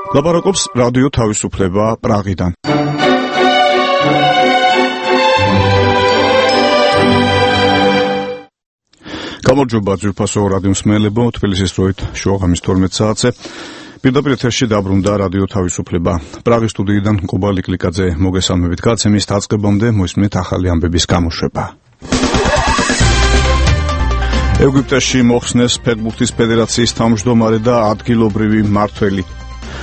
ლაპარაკობს რადიო თავისუფლება პრაღიდან. გამარჯობა ძვირფასო რადიო მსმენელებო, თბილისის დროით შუაღამის 12 საათზე. პირდაპირ ეთერში დაბრუნდა რადიო თავისუფლება. პრაღის სტუდიიდან კუბალი კლიკაძე მოგესალმებით. გაცემის დაწყებამდე მოისმინეთ ახალი ამბების გამოშვება. ეგვიპტეში მოხსნეს ფეხბურთის ფედერაციის თავმჯდომარე და ადგილობრივი მმართველი.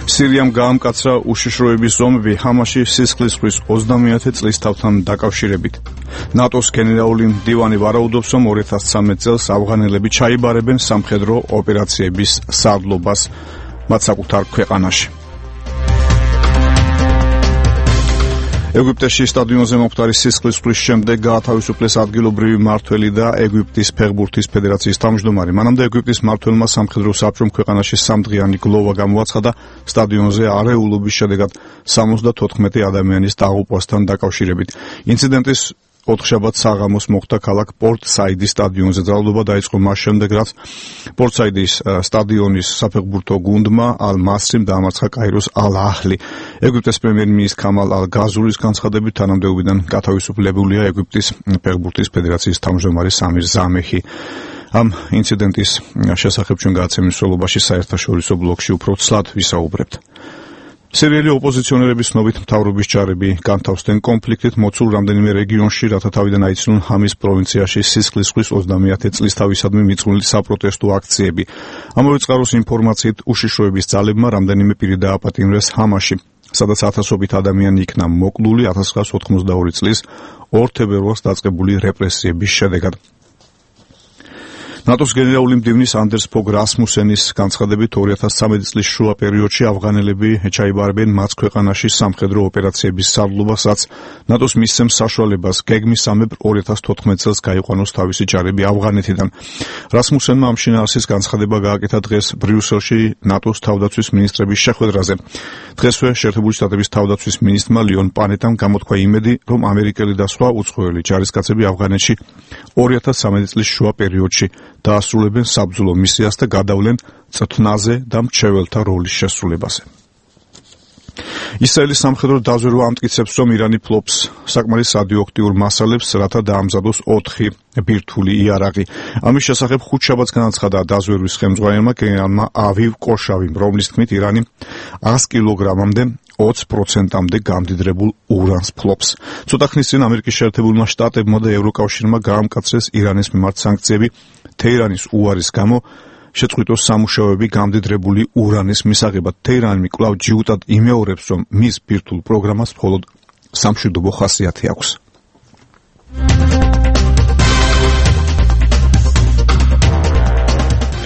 სირიამ გაამკაცრა უშიშროების ზომები ჰამაში სისხლისღვრის 30 წლის თავთან დაკავშირებით. ნატოს გენერალური მდივანი ვარაუდობს, რომ 2013 წელს ავღანელები ჩაიბარებენ სამხედრო ოპერაციების სარდლობას მათ საკუთარ ქვეყანაში. ეგვიპტეში სტადიონზე მომხდარი სისხლისღვრის შემდეგ გაათავისუფლეს ადგილობრივი მმართველი და ეგვიპტის ფეხბურთის ფედერაციის თავმჯდომარე. მანამდე ეგვიპტის მმართველმა სამხედრო საბჭომ ქვეყანაში სამდღიანი გლოვა გამოაცხადა სტადიონზე არეულობის შედეგად 74 ადამიანის დაღუპვასთან დაკავშირებით. ინციდენტის ოთხშაბათს საღამოს მოხდა ქალაქ პორტ-საიდის სტადიონზე. ძალადობა დაიწყო მას შემდეგ, რაც პორტ-საიდის სტადიონის საფეხბურთო გუნდმა ალ-მასრიმ დაამარცხა კაიროს ალ-აჰლი. ეგვიპტის პრემიერ-მინისტრის ქამალ ალ-გაზურის განცხადებით თანამდებობიდან გათავისუფლებულია ეგვიპტის ფეხბურთის ფედერაციის თავმჯდომარე სამირ ზამეჰი. ამ ინციდენტის შესახებ ჩვენ გადაცემის მსვლელობაში საერთაშორისო ბლოგში უფრო ცლად ვისაუბრებთ. სირიელი ოპოზიციონერების ცნობით მთავრობის ჯარები განთავსდნენ კონფლიქტით მოცულ რამდენიმე რეგიონში, რათა თავიდან აიცნონ ჰამის პროვინციაში სისხლისღვრის 30 წლისთავისადმი მიწყვნილი საპროტესტო აქციები. ამავე წყაროს ინფორმაციით უშიშროების ძალებმა რამდენიმე პირი დააპატიმრეს ჰამაში, სადაც ათასობით ადამიანი იქნა მოკლული 1992 წლის 2 თებერვალს დაწყებული რეპრესიების შედეგად. ნატოს გენერალური მდივნის ანდერს ფოგ რასმუსენის განცხადებით 2013 წლის შუა პერიოდში ავღანელები ჩაიბარებენ მათ ქვეყანაში სამხედრო ოპერაციების სარდლობასაც ნატოს მისცემს საშუალებას გეგმისამებრ 2014 წელს გაიყვანოს თავისი ჯარები ავღანეთიდან. რასმუსენმა ამ შინაარსის განცხადება გააკეთა დღეს ბრიუსელში ნატოს თავდაცვის მინისტრების შეხვედრაზე. დღესვე შეერთებული შტატების თავდაცვის მინისტრმა ლიონ პანეტამ გამოთქვა იმედი, რომ ამერიკელი და სხვა უცხოელი ჯარისკაცები ავღანეთში 2013 წლის შუა პერიოდში დაასრულებენ საბრძოლო მისიას და გადავლენ წრთნაზე და მრჩეველთა როლის შესრულებაზე. ისრაელის სამხედრო დაზვერვა ამტკიცებს, რომ ირანი ფლობს საკმარის რადიოაქტიურ მასალებს, რათა დაამზადოს 4 ბირთვული იარაღი. ამის შესახებ ხუთშაბათს განაცხადა დაზვერვის ხელმძღვანელმა გენერალმა ავივ კოშავიმ, რომლის თქმით ირანი 100 კილოგრამამდე 20%-მდე გამდიდრებულ ურანს ფლობს. ცოტა ხნის წინ ამერიკის შეერთებულმა შტატებმა და ევროკავშირმა გაამკაცრეს ირანის მიმართ სანქციები თეირანის უარის გამო შეწყვიტოს სამუშაოები გამდიდრებული ურანის მისაღებად. თეირანი კვლავ ჯიუტად იმეორებს, რომ მის ბირთვულ პროგრამას მხოლოდ სამშვიდობო ხასიათი აქვს.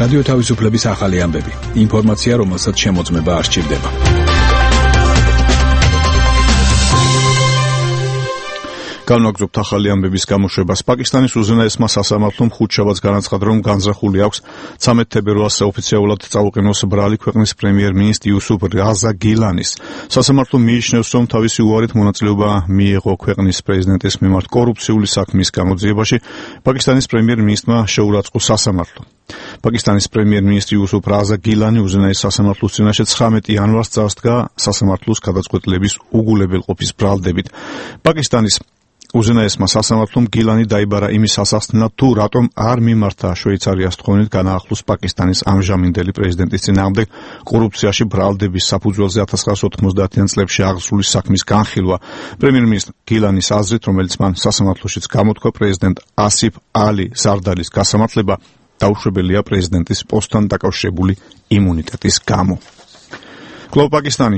რადიო თავისუფლების ახალი ამბები. ინფორმაცია, რომელსაც შემოწმება არ სჭირდება. განვაგრძობთ ახალი ამბების გამოშვებას. პაკისტანის უზენაესმა სასამართლომ ხუთშაბათს განაცხადა, რომ განზრახული აქვს 13 თებერვალს ოფიციალურად წაუყენოს ბრალი ქვეყნის პრემიერ-მინისტრი იუსუფ რაზა გილანის. სასამართლო მიიჩნევს, რომ თავისი უარით მონაწილეობა მიიღო ქვეყნის პრეზიდენტის მიმართ კორუფციული საქმის გამოძიებაში. პაკისტანის პრემიერ-მინისტრმა შეურაცხყო სასამართლო. პაკისტანის პრემიერ-მინისტრი იუსუფ რაზა გილანი უზენაეს სასამართლოს წინაშე 19 იანვარს წარსდგა სასამართლოს გადაწყვეტილების უგულებელყოფის ბრალდებით. პაკისტანის უზენაესმა სასამართლომ გილანი დაიბარა იმის ასახსნელად, თუ რატომ არ მიმართა შვეიცარიას თხოვნით განაახლოს პაკისტანის ამჟამინდელი პრეზიდენტის წინააღმდეგ კორუფციაში ბრალდების საფუძველზე 1990-იან წლებში აღსრული საქმის განხილვა. პრემიერ-მინისტр გილანის აზრით, რომელიც მან სასამართლოშიც გამოთქვა, პრეზიდენტ ასიფ ალი ზარდალის გასამართლება დაუშვებელია პრეზიდენტის პოსტთან დაკავშირებული იმუნიტეტის გამო. კვლავ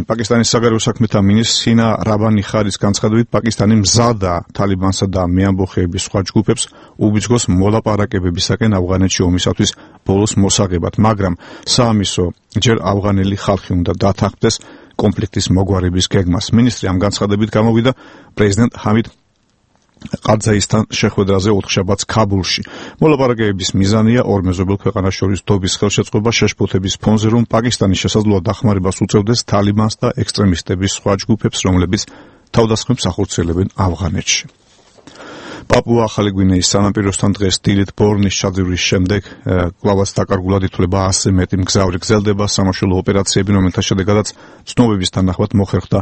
პაკისტანის საგარეო საქმეთა მინისტრ სინა რაბანი ხარის განცხადებით, პაკისტანი მზადაა თალიბანსა და მეამბოხეების სხვა ჯგუფებს უბიძგოს მოლაპარაკებებისაკენ ავღანეთში ომისათვის ბოლოს მოსაღებად, მაგრამ საამისო ჯერ ავღანელი ხალხი უნდა დათანხმდეს კონფლიქტის მოგვარების გეგმას. მინისტრი ამ განცხადებით გამოვიდა პრეზიდენტ ჰამიდ ყარძაისთან შეხვედრაზე ოთხშაბათს ქაბულში. მოლაპარაკებების მიზანია ორ მეზობელ ქვეყანას შორის დობის ხელშეწყობა შეშფოთების ფონზე, რომ პაკისტანი შესაძლოა დახმარებას უწევდეს თალიბანს და ექსტრემისტების სხვა ჯგუფებს, რომლებიც თავდასხმებს ახორციელებენ ავღანეთში. პაპუა ახალი გვინეის სანაპიროსთან დღეს დილით ბორნის ჩაძვრის შემდეგ კვლავაც დაკარგულად ითვლება 100-ზე მეტი მგზავრი გრძელდება სამაშველო ოპერაციები, რომელთა შედეგადაც ცნობების თანახმად მოხერხდა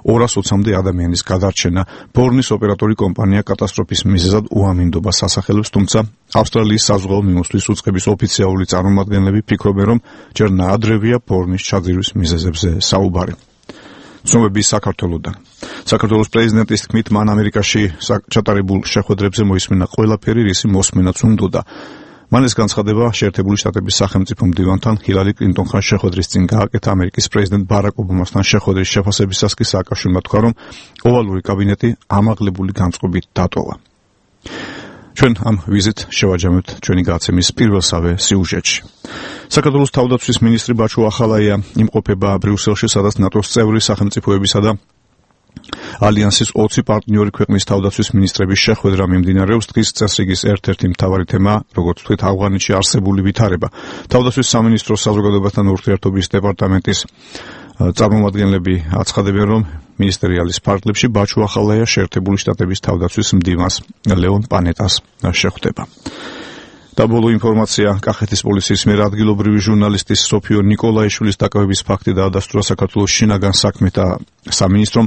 220-მდე ადამიანის გადარჩენა. ბორნის ოპერატორი კომპანია კატასტროფის მიზეზად უამინდობას ასახელებს, თუმცა ავსტრალიის საზღვაო მიმოსვლის უწყების ოფიციალური წარმომადგენლები ფიქრობენ, რომ ჯერ ნაადრევია ბორნის ჩაძვრის მიზეზებზე საუბარი. ცნობები საქართველოდან. საქართველოს პრეზიდენტის თქმით, მან ამერიკაში ჩატარებულ შეხვედრებზე მოისმინა ყველაფერი, რისი მოსმენაც უნდოდა. მან ეს განცხადება შეერთებული შტატების სახელმწიფო მდივანთან ჰილარი კლინტონთან შეხვედრის წინ გააკეთა. ამერიკის პრეზიდენტ ბარაკ ობამასთან შეხვედრის შეფასებისას კი სააკაშვილმა თქვა, რომ ოვალური კაბინეტი ამაღლებული განწყობით დატოვა. ჩვენ ამ ვიზით შევაჯამებთ ჩვენი გადაცემის პირველსავე სიუჟეტში. საქართველოს თავდაცვის მინისტრი ბაჩუ ახალაია იმყოფება ბრიუსელში, სადაც ნატოს წევრი სახელმწიფოებისა და ალიანსის 20 პარტნიორი ქვეყნის თავდაცვის მინისტრების შეხვედრა მიმდინარეობს. დღის წესრიგის ერთ-ერთი მთავარი თემაა, როგორც ვთქვით, ავღანეთში არსებული ვითარება. თავდაცვის სამინისტროს საზოგადოებასთან ურთიერთობის დეპარტამენტის წარმომადგენლები აცხადებენ, რომ მინისტერიალის ფარგლებში ბაჩუ ახალაია შეერთებული შტატების თავდაცვის მდივანს ლეონ პანეტას შეხვდება. და ბოლო ინფორმაცია, კახეთის პოლიციის მიერ ადგილობრივი ჟურნალისტის სოფიო ნიკოლაიშვილის დაკავების ფაქტი დაადასტურა საქართველოს შინაგან საქმეთა სამინისტრომ.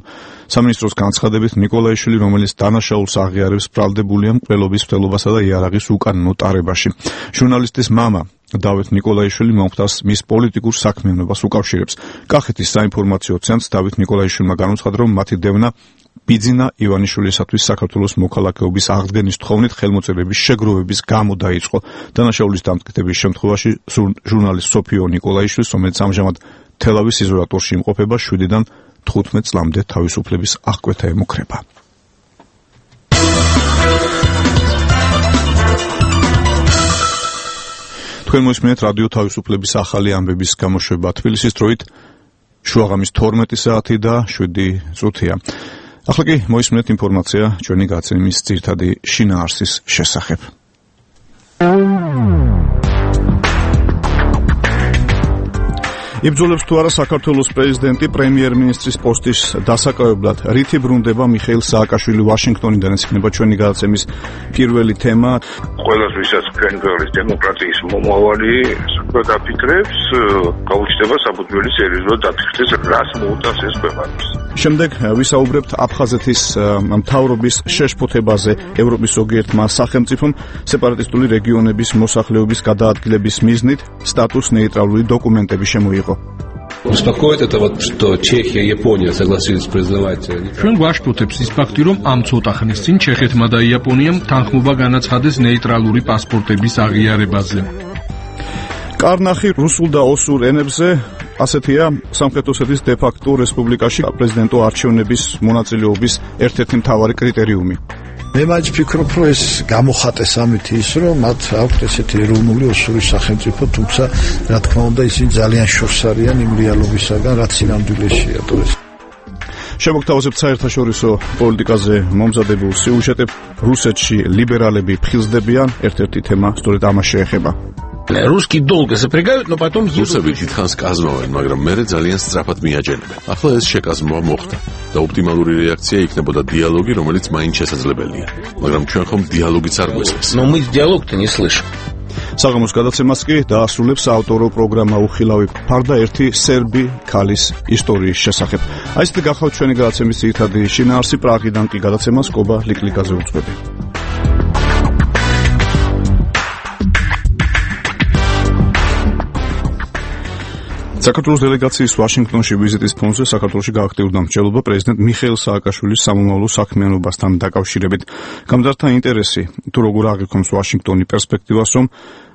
სამინისტროს განცხადებით, ნიკოლაიშვილი, რომელიც დანაშაულს აღიარებს, ბრალდებულია მკვლელობის მცდელობასა და იარაღის უკანონო ტარებაში. ჟურნალისტის მამა დავით ნიკოლაიშვილი მომხდარს მის პოლიტიკურ საქმიანობას უკავშირებს. კახეთის საინფორმაციო ცენტრს დავით ნიკოლაიშვილმა განუცხადა, რომ მათი დევნა ბიძინა ივანიშვილისათვის საქართველოს მოქალაქეობის აღდგენის თხოვნით ხელმოწერების შეგროვების გამო დაიწყო. დანაშაულის დამტკიცების შემთხვევაში ჟურნალისტ სოფიო ნიკოლაიშვილს, რომელიც ამჟამად თელავის იზოლატორში იმყოფება, 7-დან 15 წლამდე თავისუფლების აღკვეთა ემუქრება. თქვენ მოისმინეთ რადიო თავისუფლების ახალი ამბების გამოშვება თბილისის დროით შუაღამის 12 საათი და 7 წუთია. ახლა კი მოისმინეთ ინფორმაცია ჩვენი გადაცემის ძირითადი შინაარსის შესახებ. იბრძოლებს თუ არა საქართველოს პრეზიდენტი პრემიერ-მინისტრის პოსტის დასაკავებლად, რითი ბრუნდება მიხეილ სააკაშვილი ვაშინგტონიდან, ეს იქნება ჩვენი გადაცემის პირველი თემა. ყველას ვისაც კენგერის დემოკრატიის მომავალი დაფიქრებს, გაუჩნდება საფუძველი სერიოზულად დაფიქრდეს, რას მოუტანს ეს ქვეყანას. შემდეგ ვისაუბრებთ აფხაზეთის მთავრობის შეშფოთებაზე ევროპის ზოგიერთმა სახელმწიფომ სეპარატისტული რეგიონების მოსახლეობის გადაადგილების მიზნით სტატუს нейтральные документы შემოიღო. Успокоит это вот, что Чехия и Япония согласились признавать. Ჩვენ გვაშფოთებს ის ფაქტი, რომ ამ ცოტა ხნის წინ ჩეხეთმა და იაპონიამ თანხმობა განაცხადეს ნეიტრალური პასპორტების აღიარებაზე. კარნახი რუსულ და ოსურ ენებზე ასეთია სამხრეთ ოსეთის დე-ფაქტო რესპუბლიკაში პრეზიდენტო არჩევნების მონაწილეობის ერთ-ერთი მთავარი კრიტერიუმი. მე მაინც ვფიქრობ, რომ ეს გამოხატეს ამით ის, რომ მათ აქვთ ესეთი ეროვნული ოსური სახელმწიფო, თუმცა რა თქმა უნდა ისინი ძალიან შორს არიან იმ რეალობისაგან, რაც სინამდვილეშია დღეს. შემოგთავაზებთ საერთაშორისო პოლიტიკაზე მომზადებულ სიუჟეტებს. რუსეთში ლიბერალები ფხიზდებიან, ერთ-ერთი თემა სწორედ ამას შეეხება. Русские долго запрягают, но потом რუსები დიდხანს კაზმავენ, მაგრამ მერე ძალიან სწრაფად მიაჯენებენ. ახლა ეს შეკაზმვა მოხდა და ოპტიმალური რეაქცია იქნებოდა დიალოგი, რომელიც მაინც შესაძლებელია. მაგრამ ჩვენ ხომ დიალოგიც არ გვესმის. Но мы диалог-то не слышим. საღამოს გადაცემას კი დაასრულებს ავტორო პროგრამა უხილავი ფარდა ერთი სერბი ქალის ისტორიის შესახებ. აი ესეთი გახავთ ჩვენი გადაცემის ძირითადი შინაარსი. პრაღიდან კი გადაცემას კობა ლიკლიკაზე უძღვები. საქართველოს დელეგაციის ვაშინგტონში ვიზიტის ფონზე საქართველოში გააქტიურდა მრჩევლობა პრეზიდენტ მიხეილ სააკაშვილის სამომავლო საქმიანობასთან დაკავშირებით. გამძართა ინტერესი თუ როგორ აღიქვამს ვაშინგტონი პერსპექტივას, რომ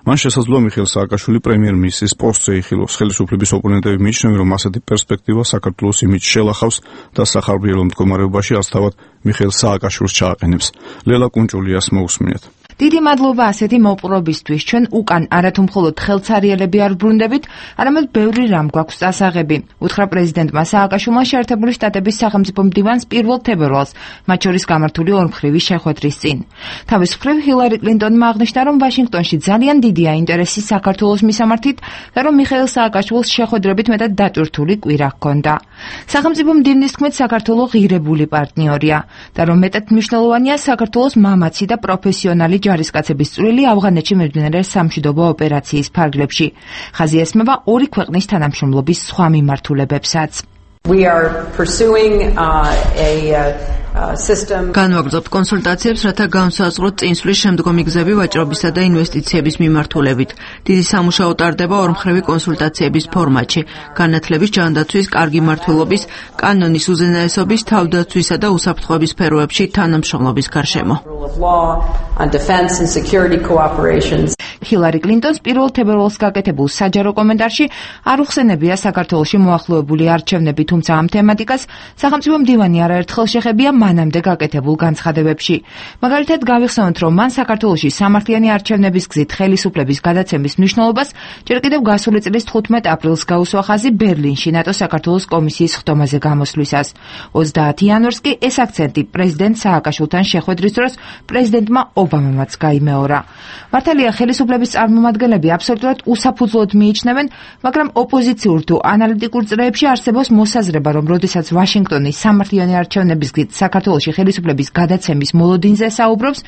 მან შესაძლოა მიხეილ სააკაშვილი პრემიერ-მინისტრის პოსტზე იხილოს. ხელისუფლების ოპონენტები მიიჩნევენ, რომ ასეთი პერსპექტივა საქართველოს იმიჯს შელახავს და სახარბიელო მდგომარეობაში ასთავად მიხეილ სააკაშვილს ჩააყენებს. ლელა კუნჭულიას მოусმინეთ. დიდი მადლობა ასეთი მოპყრობისთვის. ჩვენ უკან არათუ მხოლოდ ხელცარიელები არ ბრუნდებით, არამედ ბევრი რამ გვაქვს წასაღები. უთხრა პრეზიდენტმა სააკაშვილმა შეერთებული შტატების სახელმწიფო მდივანს 1 თებერვალს, მათ შორის გამართული ორმხრივი შეხვედრის წინ. თავის მხრივ ჰილარი კლინტონმა აღნიშნა, რომ ვაშინგტონში ძალიან დიდია ინტერესი საქართველოს მისამართით და რომ მიხეილ სააკაშვილს შეხვედრებით მეტად დატვირთული კვირა ჰქონდა. სახელმწიფო მდივნის თქმით, საქართველო ღირებული პარტნიორია და რომ მეტად მნიშვნელოვანია საქართველოს მამაცი და პროფესიონალი ჯარისკაცების წვლილი ავღანეთში მიმდინარე სამშვიდობო ოპერაციის ფარგლებში. ხაზი ესმება ორი ქვეყნის თანამშრომლობის სხვა მიმართულებებსაც. განვაგრძობთ კონსულტაციებს, რათა განსაზღვროთ წინსვლის შემდგომი გზები ვაჭრობისა და ინვესტიციების მიმართულებით. დიდი სამუშაო ტარდება ორმხრივი კონსულტაციების ფორმატში, განათლების, ჯანდაცვის, კარგი მმართველობის, კანონის უზენაესობის, თავდაცვისა და უსაფრთხოების სფეროებში თანამშრომლობის გარშემო. ჰილარი კლინტონს 1 თებერვალს გაკეთებულ საჯარო კომენტარში არ უხსენებია საქართველოში მოახლოებული არჩევნები, თუმცა ამ თემატიკას სახელმწიფო მდივანი არაერთხელ შეხებია მანამდე გაკეთებულ განცხადებებში. მაგალითად, გავიხსენოთ, რომ მან საქართველოში სამართლიანი არჩევნების გზით ხელისუფლების გადაცემის მნიშვნელობას ჯერ კიდევ გასული წლის 15 აპრილს გაუსვა ხაზი ბერლინში ნატო-საქართველოს კომისიის ხდომაზე გამოსვლისას. 30 იანვარს კი ეს აქცენტი პრეზიდენტ სააკაშვილთან შეხვედრის დროს პრეზიდენტმა ობამამაც გაიმეორა. მართალია, ხელისუფლების წარმომადგენლები აბსოლუტურად უსაფუძვლოდ მიიჩნევენ, მაგრამ ოპოზიციურ თუ ანალიტიკურ წრეებში არსებობს მოსაზრება, რომ როდესაც ვაშინგტონი სამართლიანი არჩევნების გზით საქართველოში ხელისუფლების გადაცემის მოლოდინზე საუბრობს,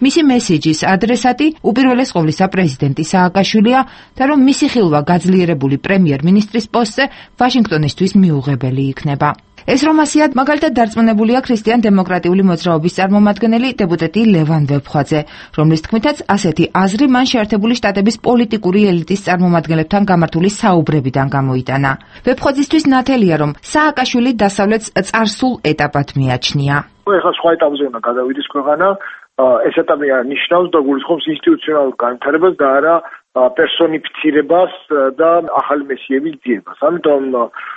მისი მესიჯის ადრესატი უპირველეს ყოვლისა პრეზიდენტი სააკაშვილია და რომ მისი ხილვა გაძლიერებული პრემიერ-მინისტრის პოსტზე ვაშინგტონისთვის მიუღებელი იქნება. ეს რომ ასიათ, მაგალითად დარწმუნებულია ქრისტიან-დემოკრატიული მოძრაობის წარმომადგენელი დეპუტატი ლევან ვეფხვაძე, რომლის თქმითაც ასეთი აზრი მან შეერთებული შტატების პოლიტიკური ელიტის წარმომადგენლებთან გამართული საუბრებიდან გამოიტანა. ვეფხვაძისთვის ნათელია, რომ სააკაშვილი დასავლეთს წარსულ ეტაპად მიაჩნია. ეხლა სხვა ეტაპზე უნდა გადავიდეს ქვეყანა, ეს ეტაპი ნიშნავს და გულისხმობს ინსტიტუციონალურ განვითარებას და არა პერსონიფიცირებას და ახალი მესიების ძიებას. ამიტომ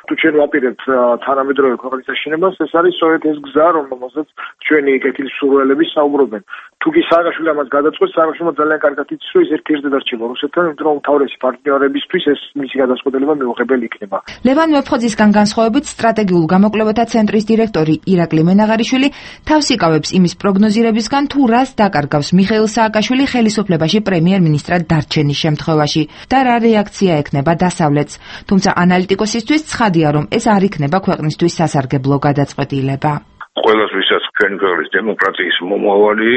თუ ჩვენ ვაპირებთ თანამედროვე ქვეყნის აშენებას, ეს არის სწორედ ეს გზა, რომელზეც ჩვენი კეთილი სურვილები საუბრობენ. თუ კი სააკაშვილი ამას გადაწყვეტს, სააკაშვილმა ძალიან კარგად იცის, რომ ის ერთ-ერთად არჩევა რუსეთთან, იმიტომ რომ უმთავრესი პარტნიორებისთვის ეს მისი გადაწყვეტილება მიუღებელი იქნება. ლევან ვეფხვაძისგან განსხვავებით, სტრატეგიულ გამოკვლევათა ცენტრის დირექტორი ირაკლი მენაღარიშვილი თავს იკავებს იმის პროგნოზირებისგან, თუ რას დაკარგავს მიხეილ სააკაშვილი ხელისუფლებაში პრემიერ-მინისტრად დარჩენის შემთხვევაში და რა რეაქცია ექნება დასავლეთს. თუმცა ანალიტიკოსისთვის ცხადია, რომ ეს არ იქნება ქვეყნისთვის სასარგებლო გადაწყვეტილება. ყველას ვისაც ჩვენი ქვეყნის დემოკრატიის მომავალი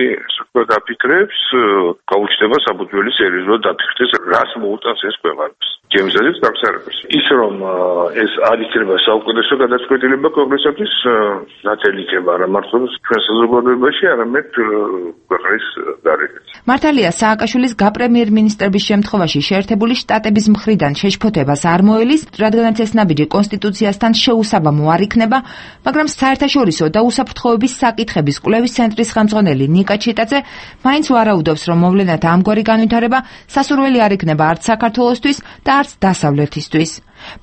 გაფიქრებს, გაუჩნდება საფუძველი სერიოზულად დაფიქრდეს, რას მოუტანს ეს ქვეყანას. ჯემზადებს გაგზავნებს. ის რომ ეს არ იქნება საუკეთესო გადაწყვეტილება ქვეყნისათვის, ნათელი იქნება არა მარტო ჩვენ საზოგადოებაში, არამედ ქვეყნის გარეთ. მართალია, სააკაშვილის გაპრემიერ-მინისტრების შემთხვევაში შეერთებული შტატების მხრიდან შეშფოთებას არ მოელის, რადგანაც ეს ნაბიჯი კონსტიტუციასთან შეუსაბამო არ იქნება, მაგრამ საერთაშორისო და უსაფრთხოების საკითხების კვლევის ცენტრის ხელმძღვანელი ნიკა ჩიტაძე მაინც ვარაუდობს, რომ მოვლენათა ამგვარი განვითარება სასურველი არ იქნება არც საქართველოსთვის და არც დასავლეთისთვის.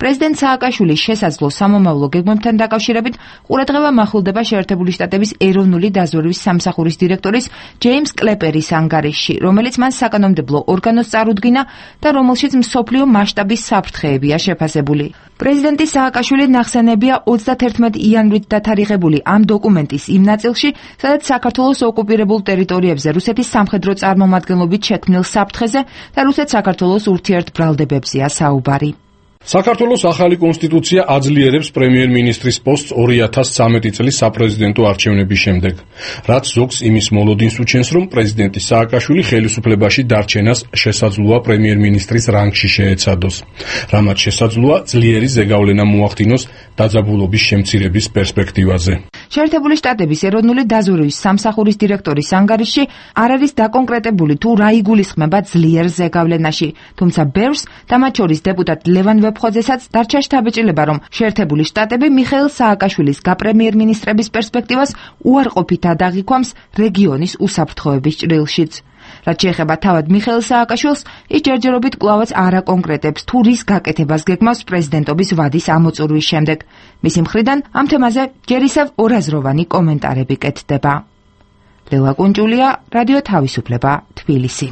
პრეზიდენტ სააკაშვილის შესაძლო სამომავლო გეგმებთან დაკავშირებით ყურადღება მახვილდება შეერთებული შტატების ეროვნული დაზვერვის სამსახურის დირექტორის ჯეიმს კლეპერის ანგარიშში, რომელიც მან საკანონმდებლო ორგანოს წარუდგინა და რომელშიც მსოფლიო მასშტაბის საფრთხეებია შეფასებული. პრეზიდენტი სააკაშვილი ნახსენებია 31 იანვრით დათარიღებული ამ დოკუმენტის იმ ნაწილში, სადაც საქართველოს ოკუპირებულ ტერიტორიებზე რუსეთის სამხედრო წარმომადგენლობით შექმნილ საფრთხეზე და რუსეთ-საქართველოს ურთიერთბრალდებებზეა საუბარი. საქართველოს ახალი კონსტიტუცია აძლიერებს პრემიერ-მინისტრის პოსტს 2013 წლის საპრეზიდენტო არჩევნების შემდეგ, რაც ზოგს იმის მოლოდინს უჩენს, რომ პრეზიდენტი სააკაშვილი ხელისუფლებაში დარჩენას შესაძლოა პრემიერ-მინისტრის რანგში შეეცადოს, რამაც შესაძლოა ძლიერი ზეგავლენა მოახდინოს დაძაბულობის შემცირების პერსპექტივაზე. შეერთებული შტატების ეროვნული დაზვერვის სამსახურის დირექტორის ანგარიშში არ არის დაკონკრეტებული თუ რა იგულისხმება ძლიერ ზეგავლენაში, თუმცა ბევრს და მათ შორის დეპუტატ ლევან ვეფხვაძესაც დარჩა შთაბეჭდილება, რომ შეერთებული შტატები მიხეილ სააკაშვილის გაპრემიერ-მინისტრების პერსპექტივას უარყოფით ადაღიქვამს რეგიონის უსაფრთხოების ჭრილშიც. რაც შეეხება თავად მიხეილ სააკაშვილს, ის ჯერჯერობით კვლავაც არ აკონკრეტებს თუ რის გაკეთებას გეგმავს პრეზიდენტობის ვადის ამოწურვის შემდეგ. მისი მხრიდან ამ თემაზე ჯერ ისევ ორაზროვანი კომენტარები კეთდება. ლელა კუნჭულია, რადიო თავისუფლება, თბილისი.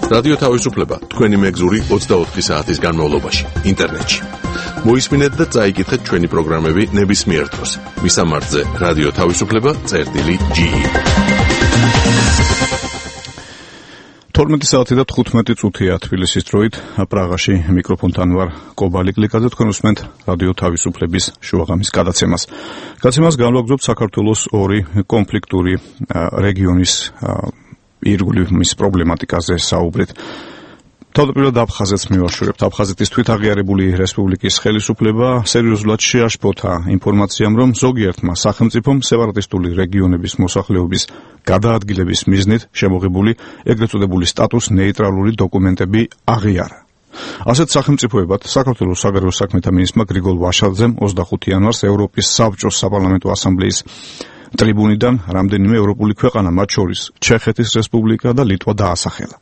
რადიო თავისუფლება თქვენი მეგზური 24 საათის განმავლობაში ინტერნეტში. მოისმინეთ და წაიკითხეთ ჩვენი პროგრამები ნებისმიერ დროს. მისამართზე რადიო თავისუფლება.ge 12 საათი და 15 წუთია თბილისის დროით. პრაღაში მიკროფონთან ვარ კობალი კლიკაძე. თქვენ უსმენთ რადიო თავისუფლების შუაღამის გადაცემას. გადაცემას განვაგრძობთ საქართველოს ორი კონფლიქტური რეგიონის ირგვლივ პრობლემატიკაზე საუბრით. თავდაპირველად აფხაზეთს მივაშორებთ. აფხაზეთის თვითაღიარებული რესპუბლიკის ხელისუფლება სერიოზულად შეაშფოთა ინფორმაციამ, რომ ზოგიერთმა სახელმწიფომ სეპარატისტული რეგიონების მოსახლეობის გადაადგილების მიზნით შემოღებული ეგრეთ წოდებული სტატუს ნეიტრალური დოკუმენტები აღიარა. ასეთ სახელმწიფოებად საქართველოს საგარეო საქმეთა მინისტრმა გრიგოლ ვაშაძემ 25 იანვარს ევროპის საბჭოს საპარლამენტო ასამბლეის ტრიბუნიდან რამდენიმე ევროპული ქვეყანა, მათ შორის ჩეხეთის რესპუბლიკა და ლიტვა დაასახელა.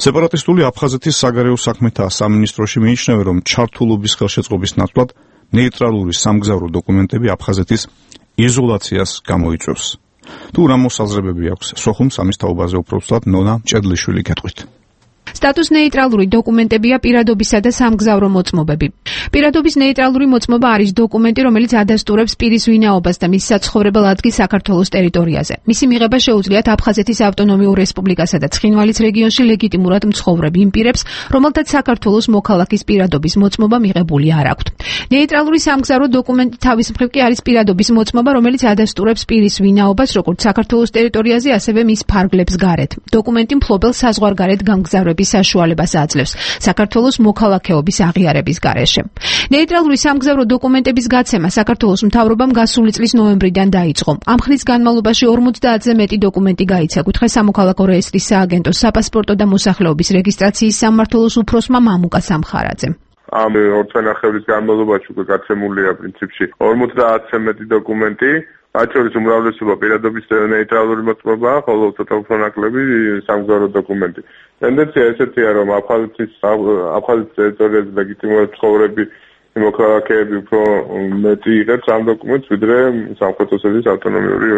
სეპარატისტული აფხაზეთის საგარეო საქმეთა სამინისტროში მიიჩნევენ, რომ ჩართულობის ხელშეწყობის ნაცვლად ნეიტრალური სამგზავრო დოკუმენტები აფხაზეთის იზოლაციას გამოიწვევს. თუ რა მოსაზრებები აქვს სოხუმს ამის თაობაზე უფრო ვსვათ ნონა ჭედლიშვილი გეტყვით. სტატუს ნეიტრალური დოკუმენტებია პირადობისა და სამგზავრო მოწმობები. პირადობის ნეიტრალური მოწმობა არის დოკუმენტი, რომელიც ადასტურებს პირის ვინაობას და მის საცხოვრებელ ადგილს საქართველოს ტერიტორიაზე. მისი მიღება შეუძლიათ აფხაზეთის ავტონომიურ რესპუბლიკასა და ცხინვალის რეგიონში ლეგიტიმურად მცხოვრებ იმ პირებს, რომელთაც საქართველოს მოქალაქის პირადობის მოწმობა მიღებული არ აქვთ. ნეიტრალური სამგზავრო დოკუმენტი თავის მხრივ კი არის პირადობის მოწმობა, რომელიც ადასტურებს პირის ვინაობას როგორც საქართველოს ტერიტორიაზე, ასევე მის ფარგლებს გარეთ. დოკუმენტი მფლობელს საზღვარგარეთ გამგზავრების საშუალებას აძლევს საქართველოს მოქალაქეობის აღიარების გარეშე. ნეიტრალური სამგზავრო დოკუმენტების გაცემა საქართველოს მთავრობამ გასული წლის ნოემბრიდან დაიწყო. ამ ხნის განმავლობაში 50-ზე მეტი დოკუმენტი გაიცა კუთხე სამოქალაქო რეესტრის სააგენტოს საპასპორტო და მოსახლეობის რეგისტრაციის სამმართველოს უფროსმა მამუკა სამხარაძემ. ამ 2 წელიწადის განმავლობაში უკვე გაცემულია პრინციპში 50-ზე მეტი დოკუმენტი. მათ შორის უმრავლესობა პირადობის ნეიტრალური მოწმობა, ხოლო ცოტა უფრო ნაკლები სამგზავრო დოკუმენტი. ტენდენცია ესეთია, რომ აფხაზეთის ტერიტორიაზე ლეგიტიმურად მცხოვრები მოქალაქეები უფრო მეტი იღებს ამ დოკუმენტს, ვიდრე სამხრეთ ოსეთის ავტონომიური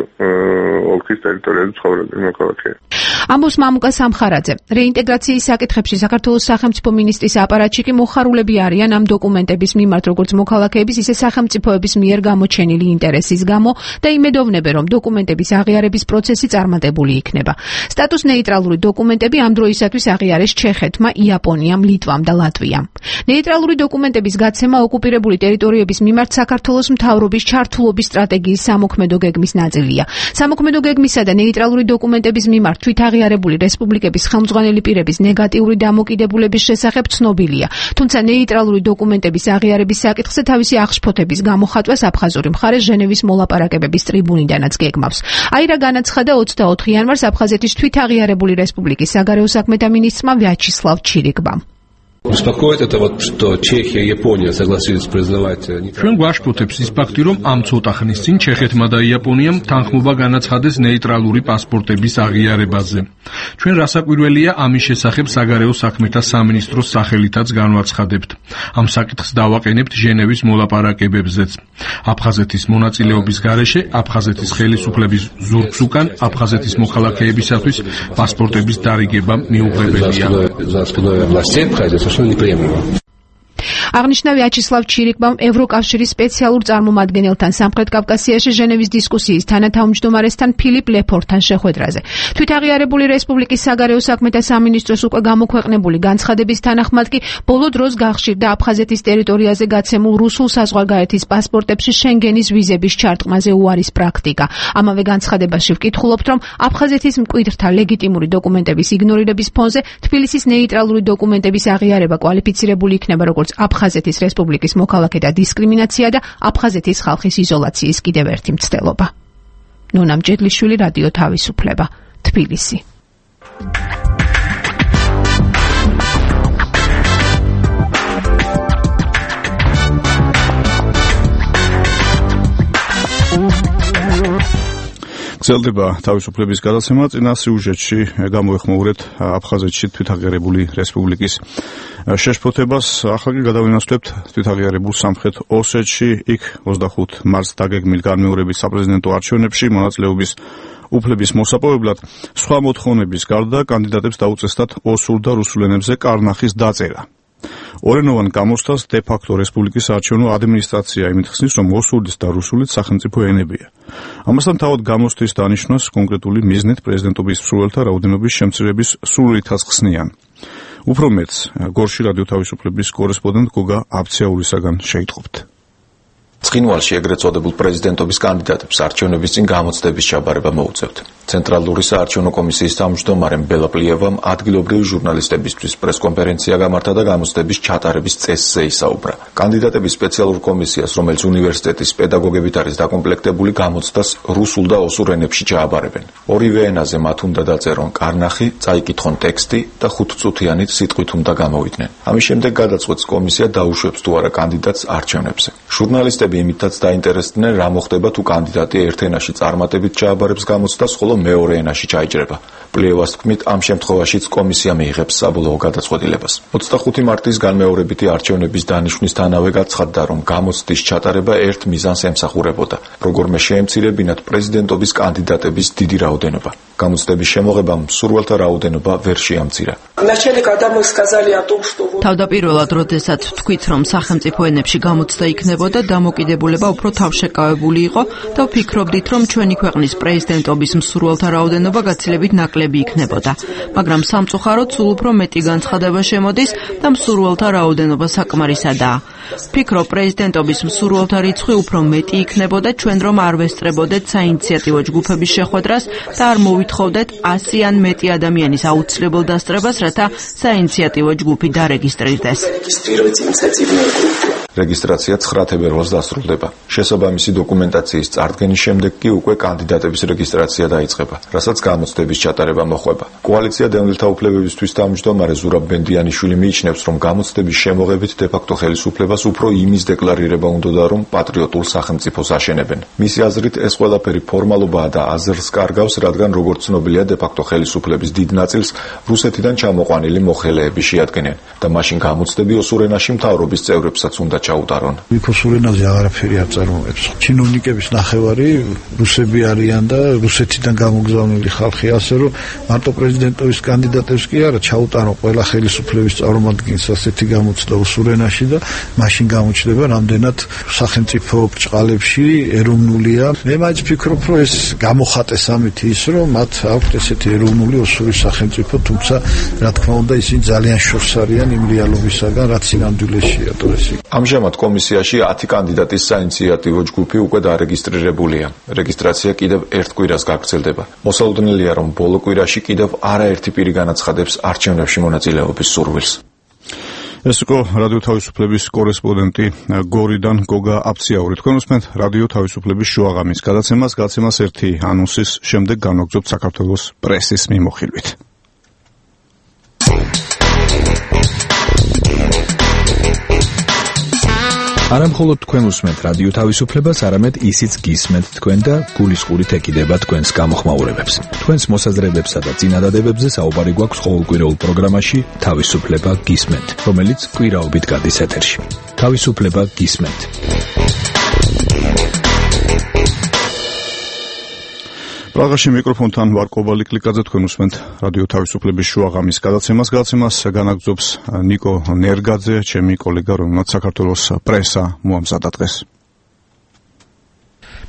ოლქის ტერიტორიაზე მცხოვრები მოქალაქეები. ამბობს მამუკა სამხარაძე. რეინტეგრაციის საკითხებში საქართველოს სახელმწიფო მინისტრის აპარატში კი მოხარულები არიან ამ დოკუმენტების მიმართ, როგორც მოქალაქეების, ისე სახელმწიფოების მიერ გამოჩენილი ინტერესის გამო და იმედოვნებენ, რომ დოკუმენტების აღიარების პროცესი წარმატებული იქნება. სტატუს ნეიტრალური დოკუმენტები ამ დროისათვის აღიარეს ჩეხეთმა, იაპონიამ, ლიტვამ და ლატვიამ. ნეიტრალური დოკუმენტების გაცემა ოკუპირებული ტერიტორიების მიმართ საქართველოს მთავრობის ჩართულობის სტრატეგიის სამოქმედო გეგმის ნაწილია. სამოქმედო გეგმისა და ნეიტრალური დოკუმენტების მიმართ აღიარებული რესპუბლიკების ხელმძღვანელი პირების ნეგატიური დამოკიდებულების შესახებ ცნობილია. თუმცა ნეიტრალური დოკუმენტების აღიარების საკითხზე თავისი აღშფოთების გამოხატვას აფხაზური მხარე ჟენევის მოლაპარაკებების ტრიბუნიდანაც გეგმავს. აი რა განაცხადა 24 იანვარს აფხაზეთის თვითაღიარებული რესპუბლიკის საგარეო საქმეთა მინისტრმა ვიაჩისლავ ჩირიკბამ. Беспокоит это вот, что Чехия и Япония согласились признавать. ჩვენ გვაშფოთებს ის ფაქტი, რომ ამ ცოტა ხნის წინ ჩეხეთმა და იაპონიამ თანხმობა განაცხადეს ნეიტრალური პასპორტების აღიარებაზე. ჩვენ რასაკვირველია ამის შესახებ საგარეო საქმეთა სამინისტროს სახელითაც განვაცხადებთ. ამ საკითხს დავაყენებთ ჟენევის მოლაპარაკებებზეც. აფხაზეთის მონაწილეობის გარეშე აფხაზეთის ხელისუფლების ზურგს უკან აფხაზეთის მოქალაქეებისათვის პასპორტების დარიგება მიუღებელია. აღნიშნა ვიაჩისლავ ჩირიკბამ ევროკავშირის სპეციალურ წარმომადგენელთან სამხრეთ კავკასიაში ჟენევის დისკუსიის თანათავმჯდომარესთან ფილიპ ლეფორთან შეხვედრაზე. თვითაღიარებული რესპუბლიკის საგარეო საქმეთა სამინისტროს უკვე გამოქვეყნებული განცხადების თანახმად კი ბოლო დროს გახშირდა აფხაზეთის ტერიტორიაზე გაცემულ რუსულ საზღვარგარეთის პასპორტებში შენგენის ვიზების ჩარტყმაზე უარის პრაქტიკა. ამავე განცხადებაში ვკითხულობთ, რომ აფხაზეთის მკვიდრთა ლეგიტიმური დოკუმენტების იგნორირების ფონზე თბილისის ნეიტრალური დოკუმენტების აღიარება კვალიფიცირებული იქნება როგორც აფხაზეთის რესპუბლიკის მოქალაქეთა დისკრიმინაცია და აფხაზეთის ხალხის იზოლაციის კიდევ ერთი მცდელობა. ნონა ჭედლიშვილი, რადიო თავისუფლება, თბილისი. გრძელდება თავისუფლების გადაცემა. წინა სიუჟეტში გამოეხმაურეთ აფხაზეთში თვითაღიარებული რესპუბლიკის შეშფოთებას. ახლა კი გადავინაცვლებთ თვითაღიარებულ სამხრეთ ოსეთში. იქ 25 მარტს დაგეგმილ განმეორებით საპრეზიდენტო არჩევნებში მონაწილეობის უფლების მოსაპოვებლად სხვა მოთხოვნების გარდა კანდიდატებს დაუწესდათ ოსურ და რუსულ ენებზე კარნახის დაწერა. ორენოვან გამოსვლას დე-ფაქტო რესპუბლიკის არჩევნო ადმინისტრაცია იმით ხსნის, რომ ოსურიც და რუსულიც სახელმწიფო ენებია. ამასთან თავად გამოსვლის დანიშვნას კონკრეტული მიზნით პრეზიდენტობის მსურველთა რაოდენობის შემცირების სრულითაც ხსნიან. უფრო მეტს გორში რადიო თავისუფლების კორესპონდენტ გოგა აბციაურისაგან შეიტყობთ. ცხინვალში ეგრეთ წოდებულ პრეზიდენტობის კანდიდატებს არჩევნების წინ გამოცდების ჩაბარება მოუწევთ. ცენტრალური საარჩევნო კომისიის თავმჯდომარემ ბელა პლიევამ ადგილობრივი ჟურნალისტებისთვის პრესკონფერენცია გამართა და გამოცდების ჩატარების წესზე ისაუბრა. კანდიდატების სპეციალურ კომისიას, რომელიც უნივერსიტეტის პედაგოგებით არის დაკომპლექტებული, გამოცდას რუსულ და ოსურ ენებში ჩააბარებენ. ორივე ენაზე მათ უნდა დაწერონ კარნახი, წაიკითხონ ტექსტი და 5 წუთიანით სიტყვით უნდა გამოვიდნენ. ამის შემდეგ გადაწყვეტს კომისია დაუშვებს თუ არა კანდიდატს არჩევნებზე. ჟურნალისტები იმითაც დაინტერესდნენ, რა მოხდება თუ კანდიდატი ერთ ენაში წარმატებით ჩააბარებს გამოცდას, ხოლო მეორე ენაში ჩაიჭრება. პლიევას თქმით, ამ შემთხვევაშიც კომისია მიიღებს საბოლოო გადაწყვეტილებას. 25 მარტის განმეორებითი არჩევნების დანიშვნისთანავე გაცხადდა, რომ გამოცდის ჩატარება ერთ მიზანს ემსახურებოდა. როგორმე შეემცირებინათ პრეზიდენტობის კანდიდატების დიდი რაოდენობა. გამოცდების შემოღებამ მსურველთა რაოდენობა ვერ შეამცირა. თავდაპირველად, როდესაც თქვით, რომ სახელმწიფო ენებში გამოცდა იქნებოდა, დამოკიდებულება უფრო თავშეკავებული იყო და ვფიქრობდით, რომ ჩვენი ქვეყნის პრეზიდენტობის მსურველთა რაოდენობა გაცილებით ნაკლები იქნებოდა. მაგრამ სამწუხაროდ სულ უფრო მეტი განცხადება შემოდის და მსურველთა რაოდენობა საკმარისადაა. ვფიქრობ, პრეზიდენტობის მსურველთა რიცხვი უფრო მეტი იქნებოდა, ჩვენ რომ არ ვესწრებოდეთ საინიციატივო ჯგუფების შეხვედრას და არ მოვითხოვდეთ 100 ან მეტი ადამიანის აუცილებელ დასწრებას, რათა საინიციატივო ჯგუფი დარეგისტრირდეს. რეგისტრაცია 9 თებერვალს დასრულდება. შესაბამისი დოკუმენტაციის წარდგენის შემდეგ კი უკვე კანდიდატების რეგისტრაცია დაიწყება, რასაც გამოცდების ჩატარება მოჰყვება. კოალიცია დევნილთა უფლებებისთვის თავმჯდომარე ზურაბ ბენდიანიშვილი მიიჩნევს, რომ გამოცდების შემოღებით დე-ფაქტო ხელისუფლებას უფრო იმის დეკლარირება უნდოდა, რომ პატრიოტულ სახელმწიფოს აშენებენ. მისი აზრით, ეს ყველაფერი ფორმალობაა და აზრს კარგავს, რადგან როგორც ცნობილია, დე-ფაქტო ხელისუფლების დიდ ნაწილს რუსეთიდან ჩამოყვანილი მოხელეები შეადგენენ და მაშინ გამოცდები ოსურ ენაში მთავრობის წევრებსაც უნდა ჩაუტარონ. ოსურ ენაზე აღარაფერი არ წარმოებს. ჩინოვნიკების ნახევარი რუსები არიან და რუსეთიდან გამოგზავნილი ხალხი, ასე რომ მარტო პრეზიდენტობის კანდიდატებს კი არა, ჩაუტარონ ყველა ხელისუფლების წარმომადგენელს ასეთი გამოცდა ოსურ ენაში და მაშინ გამოჩნდება, რამდენად სახელმწიფო ბრჭყალებში ეროვნულია. მე მაინც ვფიქრობ, რომ ეს გამოხატეს ამით ის, რომ მათ აქვთ ესეთი ეროვნული ოსური სახელმწიფო, თუმცა რა თქმა უნდა ისინი ძალიან შორს არიან იმ რეალობისაგან, რაც სინამდვილეშია დღეს. ამჟამად კომისიაში 10 კანდიდატის საინიციატივო ჯგუფი უკვე დარეგისტრირებულია. რეგისტრაცია კიდევ ერთ კვირას გაგრძელდება. მოსალოდნელია, რომ ბოლო კვირაში კიდევ არაერთი პირი განაცხადებს არჩევნებში მონაწილეობის სურვილს. ეს იყო რადიო თავისუფლების კორესპონდენტი გორიდან გოგა აბციაური. თქვენ უსმენთ რადიო თავისუფლების შუაღამის გადაცემას. გადაცემას ერთი ანონსის შემდეგ განვაგრძობთ საქართველოს პრესის მიმოხილვით. არა მხოლოდ თქვენ უსმენთ რადიო თავისუფლებას, არამედ ისიც გისმენთ თქვენ და გულისყურით ეკიდება თქვენს გამოხმაურებებს. თქვენს მოსაზრებებსა და წინადადებებზე საუბარი გვაქვს ყოველკვირეულ პროგრამაში თავისუფლება გისმენთ, რომელიც კვირაობით გადის ეთერში. თავისუფლება გისმენთ. პრაღაში მიკროფონთან ვარ კობალი კლიკაძე, თქვენ უსმენთ რადიო თავისუფლების შუაღამის გადაცემას. გადაცემას განაგრძობს ნიკო ნერგაძე, ჩემი კოლეგა, რომელმაც საქართველოს პრესა მოამზადა დღეს.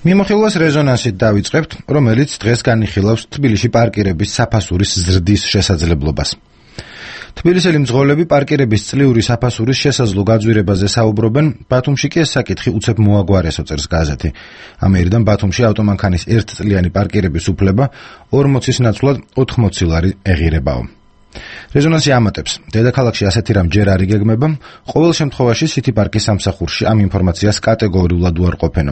მიმოხილვას რეზონანსით დავიწყებთ, რომელიც დღეს განიხილავს თბილისში პარკირების საფასურის ზრდის შესაძლებლობას. თბილისელი მძღოლები პარკირების წლიური საფასურის შესაძლო გაძვირებაზე საუბრობენ, ბათუმში კი ეს საკითხი უცებ მოაგვარესო, წერს გაზეთი. ამერიდან ბათუმში ავტომანქანის ერთწლიანი პარკირების უფლება 40-ის ნაცვლად 80 ლარი ეღირებაო. რეზონანსი ამატებს, დედაქალაქში ასეთი რამ ჯერ არ იგეგმება, ყოველ შემთხვევაში სიტი პარკის სამსახურში ამ ინფორმაციას კატეგორიულად უარყოფენ.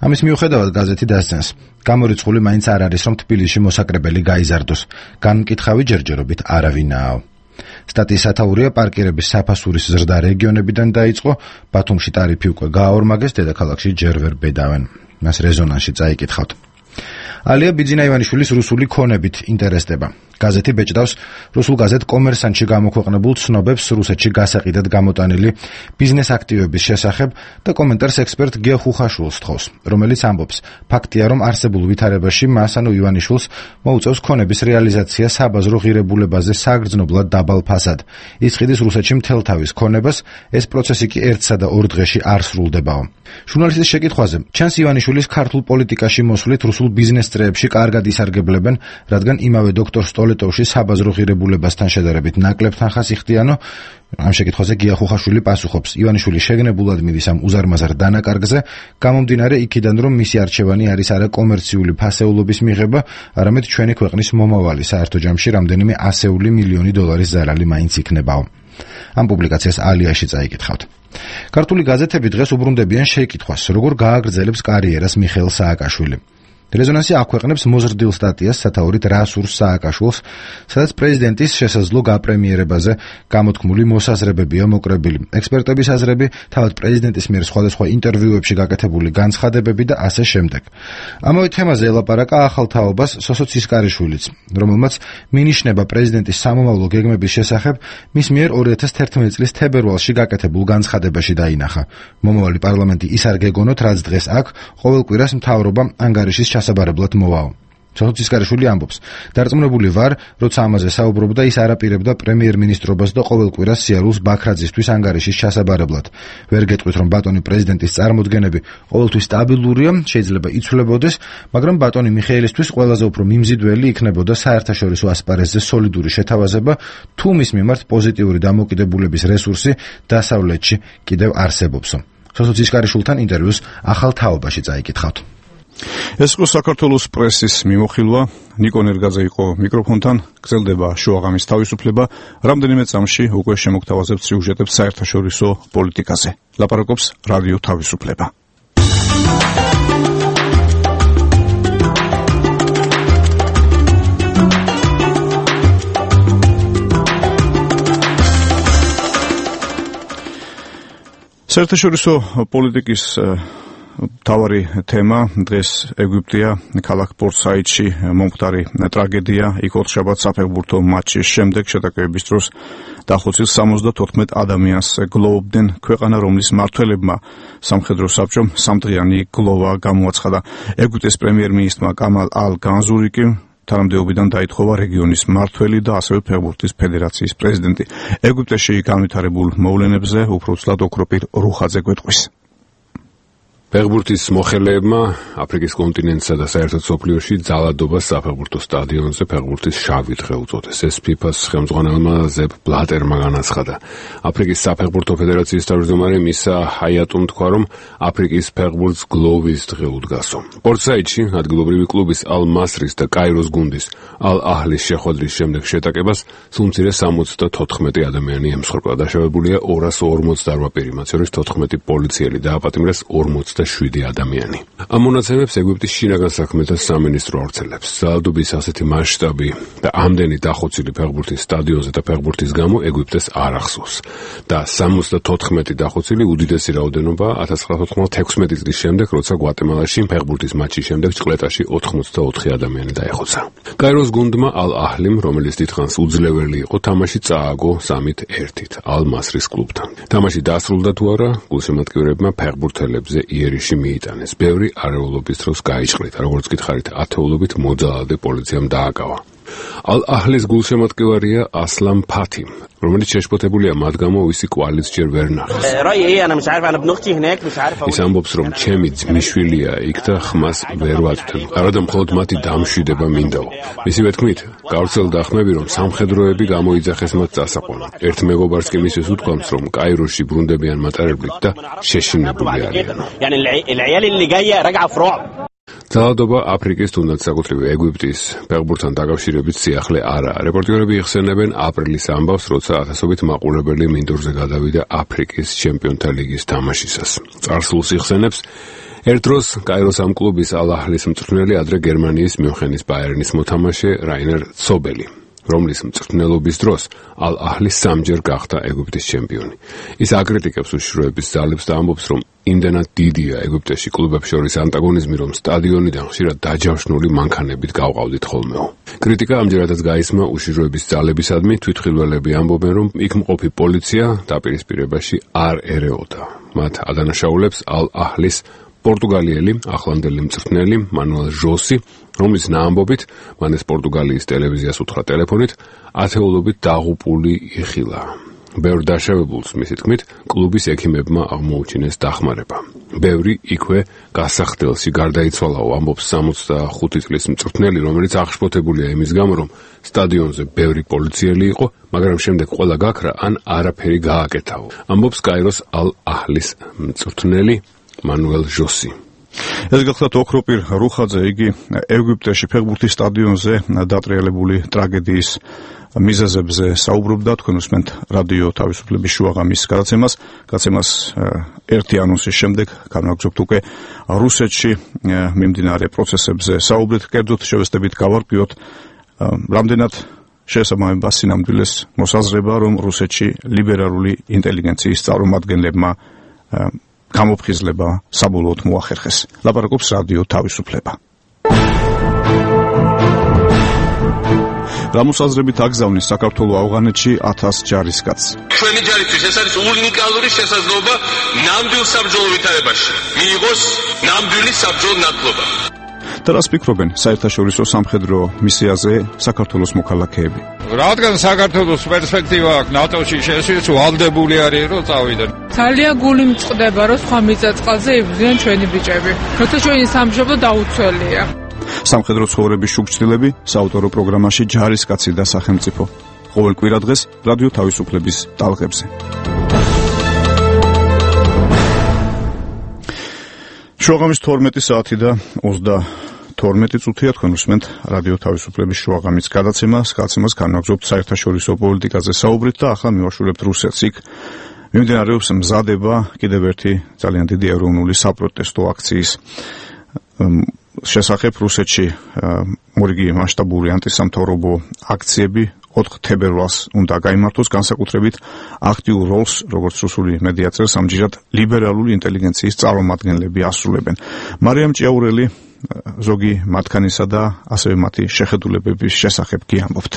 ამის მიუხედავად გაზეთი დასცენს, გამორიცხული მაინც არ არის, რომ თბილისში მოსაკრებელი გაიზარდოს, განმკითხავი ჯერჯერობით არავინაო. სტატიის სათაურია პარკირების საფასურის ზრდა რეგიონებიდან დაიწყო, ბათუმში ტარიფი უკვე გააორმაგეს, დედაქალაქში ჯერ ვერ ბედავენ. მას რეზონანსში წაიკითხავთ. ალია ბიძინა ივანიშვილის რუსული ქონებით ინტერესდება. გაზეთი ბეჭდავს რუსულ გაზეთ კომერსანტში გამოქვეყნებულ ცნობებს რუსეთში გასაყიდად გამოტანილი ბიზნეს აქტივების შესახებ და კომენტარს ექსპერტ გია ხუხაშვილს თხოვს, რომელიც ამბობს, ფაქტია, რომ არსებულ ვითარებაში მას ანუ ივანიშვილს მოუწევს ქონების რეალიზაცია საბაზრო ღირებულებაზე საგრძნობლად დაბალ ფასად. იცხიდის რუსეთში მთელთავის ქონებას, ეს პროცესი კი ერთსა და ორ დღეში არ სრულდებაო. ჟურნალისტის შეკითხვაზე, ჩანს ივანიშვილის ქართულ პოლიტიკაში მოსვლით რუსულ ბიზნეს წრეებში კარგად ისარგებლებენ, რადგან იმავე დოქტორ სტოლეტოვში საბაზრო ღირებულებასთან შედარებით ნაკლებ თანხას იხდიანო. ამ შეკითხვაზე გია ხუხაშვილი პასუხობს, ივანიშვილი შეგნებულად მიდის ამ უზარმაზარ დანაკარგზე, გამომდინარე იქიდან, რომ მისი არჩევანი არის არა კომერციული ფასეულობის მიღება, არამედ ჩვენი ქვეყნის მომავალი, საერთო ჯამში რამდენიმე ასეული მილიონი დოლარის ზარალი მაინც იქნებაო. ამ პუბლიკაციას ალიაში წაიკითხავთ. ქართული გაზეთები დღეს უბრუნდებიან შეკითხვას, როგორ გააგრძელებს კარიერას მიხეილ სააკაშვილი. რეზონანსი აქვეყნებს მოზრდილ სტატიას სათაურით რა სურს სააკაშვილს, სადაც პრეზიდენტის შესაძლო გაპრემიერებაზე გამოთქმული მოსაზრებებია მოკრებილი. ექსპერტების აზრები, თავად პრეზიდენტის მიერ სხვადასხვა ინტერვიუებში გაკეთებული განცხადებები და ასე შემდეგ. ამავე თემაზე ელაპარაკა ახალ თაობას სოსო ცისკარიშვილიც, რომელმაც მინიშნება პრეზიდენტის სამომავლო გეგმების შესახებ მის მიერ 2011 წლის თებერვალში გაკეთებულ განცხადებაში დაინახა. მომავალი პარლამენტი ის არ გეგონოთ, რაც დღეს აქ, ყოველ კვირას მთავრობა ანგარიშის ჩასაბარებლად მოვაო. სოსო ცისკარიშვილი ამბობს, დარწმუნებული ვარ, როცა ამაზე საუბრობდა, ის არ აპირებდა პრემიერ-მინისტრობას და ყოველ კვირას სიარულს ბაქრაძისთვის ანგარიშის ჩასაბარებლად. ვერ გეტყვით, რომ ბატონი პრეზიდენტის წარმოდგენები ყოველთვის სტაბილურია, შეიძლება იცვლებოდეს, მაგრამ ბატონი მიხეილისთვის ყველაზე უფრო მიმზიდველი იქნებოდა საერთაშორისო ასპარეზზე სოლიდური შეთავაზება, თუ მის მიმართ პოზიტიური დამოკიდებულების რესურსი დასავლეთში კიდევ არსებობსო. სოსო ცისკარიშვილთან ინტერვიუს ახალ თაობაში წაიკითხავთ. ეს იყო საქართველოს პრესის მიმოხილვა. ნიკო ნერგაძე იყო მიკროფონთან. გრძელდება შოაღამის თავისუფლება. რამდენიმე წამში უკვე შემოგთავაზებთ სიუჟეტებს საერთაშორისო პოლიტიკაზე. ლაპარაკობს რადიო თავისუფლება. საერთაშორისო პოლიტიკის თავარი თემა დღეს ეგვიპტეა, ქალაქ პორტ-საიდში მომხდარი ტრაგედია, იქ ოთხშაბათ საფეხბურთო მატჩის შემდეგ შეტაკებების დროს დახოცილ 74 ადამიანს გლოვობდნენ. ქვეყანა, რომლის მმართველებმა სამხედრო საბჭომ სამდღიანი გლოვა გამოაცხადა. ეგვიპტეს პრემიერ-მინისტრმა კამალ ალ-განზური კი თანამდებობიდან დაითხოვა რეგიონის მმართველი და ასევე ფეხბურთის ფედერაციის პრეზიდენტი. ეგვიპტეში განვითარებულ მოვლენებზე უფრო ცუდად ოქროპირ რუხაძე გვეტყვის. ფეხბურთის მოხელეებმა აფრიკის კონტინენტსა და საერთოდ მსოფლიოში ძალადობას საფეხბურთო სტადიონზე ფეხბურთის შავი დღე უწოდეს. ეს ფიფას ხელმძღვანელმა ზეპ ბლატერმა განაცხადა. აფრიკის საფეხბურთო ფედერაციის თავმჯდომარე მისა ჰაიატუმ თქვა, რომ აფრიკის ფეხბურთს გლოვის დღე უდგასო. პორტ-საიდში ადგილობრივი კლუბის ალ-მასრის და კაიროს გუნდის ალ-აჰლის შეხვედრის შემდეგ შეტაკებას სულ მცირე 74 ადამიანი ემსხვერპლა. დაშავებულია 248 პირი, მათ შორის 14 პოლიციელი დააპატიმრეს 47 ადამიანი. ამ მონაცემებს ეგვიპტის შინაგან საქმეთა სამინისტრო ავრცელებს. ძალადობის ასეთი მასშტაბი და ამდენი დახოცილი ფეხბურთის სტადიონზე და ფეხბურთის გამო ეგვიპტეს არ ახსოვს. და 74 დახოცილი უდიდესი რაოდენობა 1996 წლის შემდეგ, როცა გვატემალაში ფეხბურთის მატჩის შემდეგ ჭყლეტაში 84 ადამიანი დაეხოცა. კაიროს გუნდმა ალ-აჰლიმ, რომელიც დიდხანს უძლეველი იყო, თამაში წააგო 3-1 ალ-მასრის კლუბთან. თამაში დასრულდა თუ არა, გულშემატკივრებმა ფეხბურთელებზე იერიში მიიტანეს. ბევრი არეულობის დროს გაიჭყლით, როგორც გითხარით, ათეულობით მოძალადე პოლიციამ დააკავა. ალ-აჰლის გულშემატკივარია ასლამ ფათი, რომელიც შეშფოთებულია მათ გამო, ვისი კვალიც ჯერ ვერ ნახეს. ის ამბობს, რომ ჩემი ძმისშვილია იქ და ხმას ვერ ვაწვდებ. არადა მხოლოდ მათი დამშვიდება მინდაო. მისივე თქმით, გავრცელდა ხმები, რომ სამხედროები გამოიძახეს მათ წასაყვანად. ერთ მეგობარს კი მისის უთქვამს, რომ კაიროში ბრუნდებიან მატარებლით და შეშინებული არიან. ძალადობა აფრიკის, თუნდაც საკუთრივ ეგვიპტის ფეხბურთთან დაკავშირებით სიახლე არაა. რეპორტიორები იხსენებენ აპრილის ამბავს, როცა ათასობით მაყურებელი მინდორზე გადავიდა აფრიკის ჩემპიონთა ლიგის თამაშისას. წარსულს იხსენებს ერთ დროს კაიროს ამ კლუბის ალ-აჰლის მწვრთნელი, ადრე გერმანიის მიუნხენის ბაიერნის მოთამაშე რაინერ ცობელი. რომლის მწვრთნელობის დროს ალ-აჰლი სამჯერ გახდა ეგვიპტის ჩემპიონი. ის აკრიტიკებს უშიშროების ძალებს და ამბობს, რომ იმდენად დიდია ეგვიპტეში კლუბებს შორის ანტაგონიზმი, რომ სტადიონიდან ხშირად დაჯავშნული მანქანებით გავყავდით ხოლმეო. კრიტიკა ამჯერადაც გაისმა უშიშროების ძალებისადმი, თვითმხილველები ამბობენ, რომ იქ მყოფი პოლიცია დაპირისპირებაში არ ერეოდა. მათ ადანაშაულებს ალ-აჰლის პორტუგალიელი ახლანდელი მწვრთნელი მანუელ ჟოსი, რომლის ნაამბობით მან ეს პორტუგალიის ტელევიზიას უთხრა ტელეფონით, ათეულობით დაღუპული იხილა. ბევრ დაშავებულს, მისი თქმით, კლუბის ექიმებმა აღმოუჩინეს დახმარება. ბევრი იქვე გასახდელში გარდაიცვალაო, ამბობს 65 წლის მწვრთნელი, რომელიც აღშფოთებულია იმის გამო, რომ სტადიონზე ბევრი პოლიციელი იყო, მაგრამ შემდეგ ყველა გაქრა ან არაფერი გააკეთაო. ამბობს კაიროს ალ-აჰლის მწვრთნელი მანუელ ჟოსი. ეს გახლავთ ოქროპირ რუხაძე, იგი ეგვიპტეში ფეხბურთის სტადიონზე დატრიალებული ტრაგედიის მიზეზებზე საუბრობდა. თქვენ უსმენთ რადიო თავისუფლების შუაღამის გადაცემას ერთი ანონსის შემდეგ განვაგრძობთ უკვე რუსეთში მიმდინარე პროცესებზე საუბრით. კერძოდ შევესწრებით გავარკვიოთ, რამდენად შესაბამება სინამდვილეს მოსაზრება, რომ რუსეთში ლიბერალური ინტელიგენციის წარმომადგენლებმა გამოფხიზლება საბოლოოდ მოახერხეს. ლაპარაკობს რადიო თავისუფლება. გამოსაზრებით აგზავნის საქართველოს ავღანეთში 1000 ჯარისკაცს. ჩვენი ჯარისთვის ეს არის უნიკალური შესაძლებლობა ნამდვილ საბრძოლო ვითარებაში მიიღოს ნამდვილი საბრძოლო ნათლობა. და რას ფიქრობენ საერთაშორისო სამხედრო მისიაზე საქართველოს მოქალაქეები? რადგან საქართველოს პერსპექტივა აქვს ნატოში შესვლის, ვალდებული არის რომ წავიდნენ. ძალიან გული მწყდება რომ სხვა მიწა-წყალზე იბრძვიან ჩვენი ბიჭები. როცა ჩვენი სამშობლო დაუცველია. სამხედრო ცხოვრების შუქჩილები საავტორო პროგრამაში ჯარისკაცი და სახელმწიფო. ყოველ კვირა დღეს რადიო თავისუფლების ტალღებზე. შუაღამის 12 საათი და 32 წუთია. თქვენ უსმენთ რადიო თავისუფლების შუაღამის გადაცემას განვაგრძობთ საერთაშორისო პოლიტიკაზე საუბრით და ახლა მივაშურებთ რუსეთს. იქ მიმდინარეობს მზადება კიდევ ერთი ძალიან დიდი ეროვნული საპროტესტო აქციის შესახებ. რუსეთში მორიგი მასშტაბური ანტისამთავრობო აქციები 4 თებერვალს უნდა გაიმართოს, განსაკუთრებით აქტიურ როლს, როგორც რუსული მედია წერს, ამჯერად ლიბერალური ინტელიგენციის წარმომადგენლები ასრულებენ. მარიამ ჭიაურელი ზოგი მათგანისა და ასევე მათი შეხედულებების შესახებ გიამბობთ.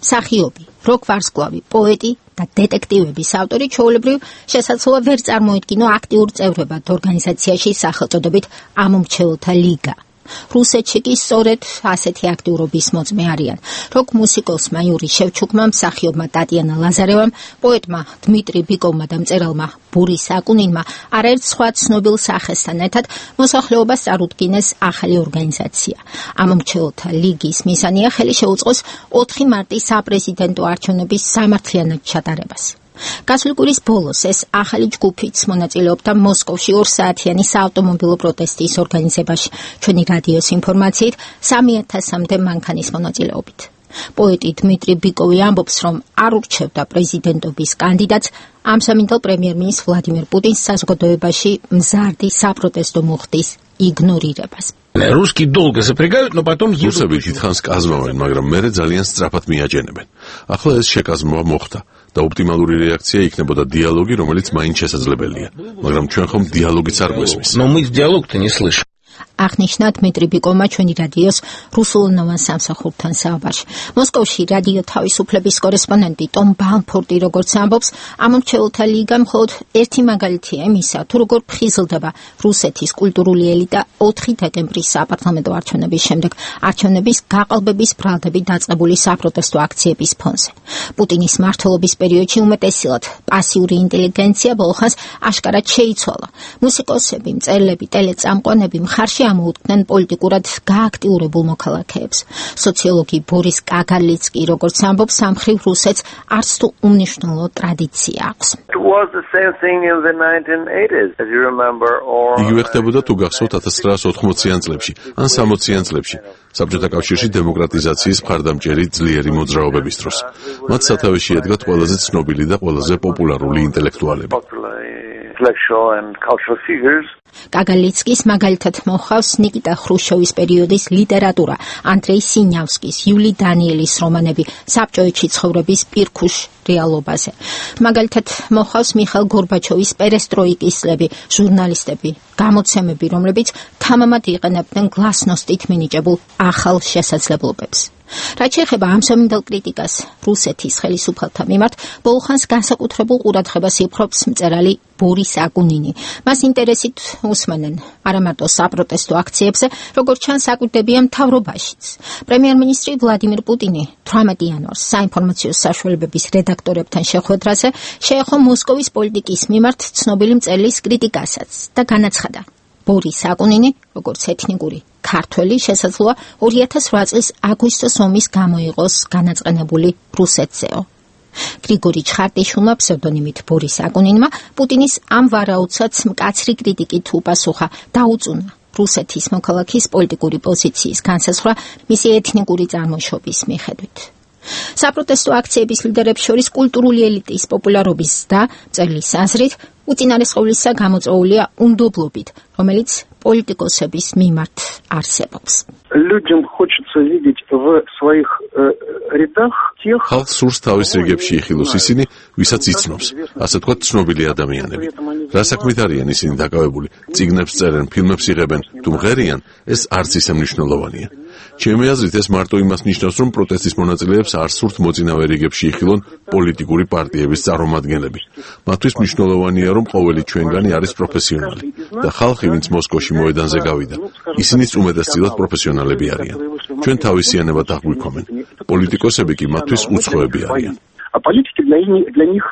მსახიობი, როკ-ვარსკვლავი, პოეტი და დეტექტივების ავტორი ჩვეულებრივ შესაძლოა ვერ წარმოედგინო აქტიურ წევრებად ორგანიზაციაში სახელწოდებით ამომრჩეველთა ლიგა. რუსეთში კი სწორედ ასეთი აქტიურობის მოწმე არიან. როკ-მუსიკოსმა იური შევჩუკმა, მსახიობმა ტატიანა ლაზარევამ, პოეტმა დმიტრი ბიკოვმა და მწერალმა ბურის აკუნინმა არაერთ სხვა ცნობილ სახესთან ერთად მოსახლეობას წარუდგინეს ახალი ორგანიზაცია. ამომრჩეველთა ლიგის მისანია ხელი შეუწყოს 4 მარტის საპრეზიდენტო არჩევნების სამართლიანად ჩატარებას. გასული კვირის ბოლოს ეს ახალი ჯგუფიც მონაწილეობდა მოსკოვში 2 საათიანი საავტომობილო პროტესტის ორგანიზებაში. ჩვენი რადიოს ინფორმაციით 3000-მდე მანქანის მონაწილეობით. პოეტი დმიტრი ბიკოვი ამბობს, რომ არ ურჩევდა პრეზიდენტობის კანდიდატს ამსამინდელ პრემიერ-მინისტრ ვლადიმერ პუტინს საზოგადოებაში მზარდი საპროტესტო მუხტის იგნორირებას. Русские долго запрягают, но потом едут. რუსები დიდხანს კაზმავენ, მაგრამ მერე ძალიან სწრაფად მიაჯენებენ. ახლა ეს შეკაზმვა მოხდა და ოპტიმალური რეაქცია იქნებოდა დიალოგი, რომელიც მაინც შესაძლებელია. მაგრამ ჩვენ ხომ დიალოგიც არ გვესმის. Но мы диалог-то не слышим. აღნიშნა დმიტრი ბიკოვმა ჩვენი რადიოს რუსულენოვან სამსახურთან საუბარში. მოსკოვში რადიო თავისუფლების კორესპონდენტი ტომ ბალფორდი როგორც ამბობს, ამომრჩეველთა ლიგა მხოლოდ ერთი მაგალითია იმისა, თუ როგორ ფხიზლდება რუსეთის კულტურული ელიტა 4 დეკემბრის საპარლამენტო არჩევნების შემდეგ არჩევნების გაყალბების ბრალდები დაწყებული საპროტესტო აქციების ფონზე. პუტინის მმართველობის პერიოდში უმეტესილად პასიური ინტელიგენცია ბოლხას აშკარად შეიცვალა. მუსიკოსები, მწერლები, ტელეწამყვანები მხარში ამოუდგნენ პოლიტიკურად გააქტიურებულ მოქალაქეებს. სოციოლოგი ბორის კაგალიცკი როგორც ამბობს, სამხრივ რუსეთს არც თუ უმნიშვნელო ტრადიცია აქვს. იგივე ხდებოდა თუ გახსოვთ 1980-იან წლებში ან 60-იან წლებში საბჭოთა კავშირში დემოკრატიზაციის მხარდამჭერი ძლიერი მოძრაობების დროს. მათ სათავეში ედგათ ყველაზე ცნობილი და ყველაზე პოპულარული ინტელექტუალები. intellectual and cultural figures. კაგალიცკის მაგალითად მოხავს ნიკიტა ხრუშჩოვის პერიოდის ლიტერატურა, ანდრეი სინიავსკის, იული დანიელის რომანები საბჭოეთში ცხოვრების პირქუშ რეალობაზე. მაგალითად მოხავს მიხაილ გორბაჩოვის პერესტროიკის წლები, ჟურნალისტები, გამოცემები, რომლებიც თამამად იყენებდნენ გლასნოსტით მინიჭებულ ახალ შესაძლებლობებს. რაც შეეხება ამ სომინდელ კრიტიკას რუსეთის ხელისუფალთა მიმართ, ბოლხანს განსაკუთრებულ ყურადღებას იპყრობს მწერალი ბორის აკუნინი. მას ინტერესით უსმენენ არა მარტო საპროტესტო აქციებზე, როგორც ჩანს აკვირდებიან მთავრობაშიც. პრემიერ-მინისტრი ვლადიმირ პუტინი 18 იანვარს საინფორმაციო საშუალებების რედაქტორებთან შეხვედრაზე შეეხო მოსკოვის პოლიტიკის მიმართ ცნობილი მწერლის კრიტიკასაც და განაცხადა: ბორის აკუნინი, როგორც ეთნიკური ქართველი, შესაძლოა 2008 წლის აგვისტოს ომის გამოიყოს განაწყენებული რუსეთზეო. გრიგორი ჩხარტიშვილმა ფსევდონიმით ბორის აკუნინმა პუტინის ამ ვარაუდსაც მკაცრი კრიტიკით უპასუხა და უწუნა რუსეთის მოქალაქის პოლიტიკური პოზიციის განსაზღვრა მისი ეთნიკური წარმოშობის მიხედვით. საპროტესტო აქციების ლიდერებს შორის კულტურული ელიტის პოპულარობის და მწერლის აზრით უწინარესყოვლისა გამოწვეულია უნდობლობით, რომელიც პოლიტიკოსების მიმართ არსებობს. Людям хочется видеть в своих рядах тех, ხალხს სურს თავის რიგებში იხილოს ისინი, ვისაც იცნობს, ასე თქვა ცნობილი ადამიანები. რა საქმით არიან ისინი დაკავებული? წიგნებს წერენ, ფილმებს იღებენ, თუ მღერიან, ეს არც ისე მნიშვნელოვანია. ჩემი აზრით ეს მარტო იმას ნიშნავს, რომ პროტესტის მონაწილეებს არ სურთ მოწინავე რიგებში იხილონ პოლიტიკური პარტიების წარმომადგენლები. მათთვის მნიშვნელოვანია, რომ ყოველი ჩვენგანი არის პროფესიონალი და ხალხი, ვინც მოსკოვში მოედანზე გავიდა, ისინიც უმეტესწილად პროფესიონალები არიან. ჩვენ თავისიანებად აღვიქვამენ. პოლიტიკოსები კი მათთვის უცხოები არიან. А политики для них,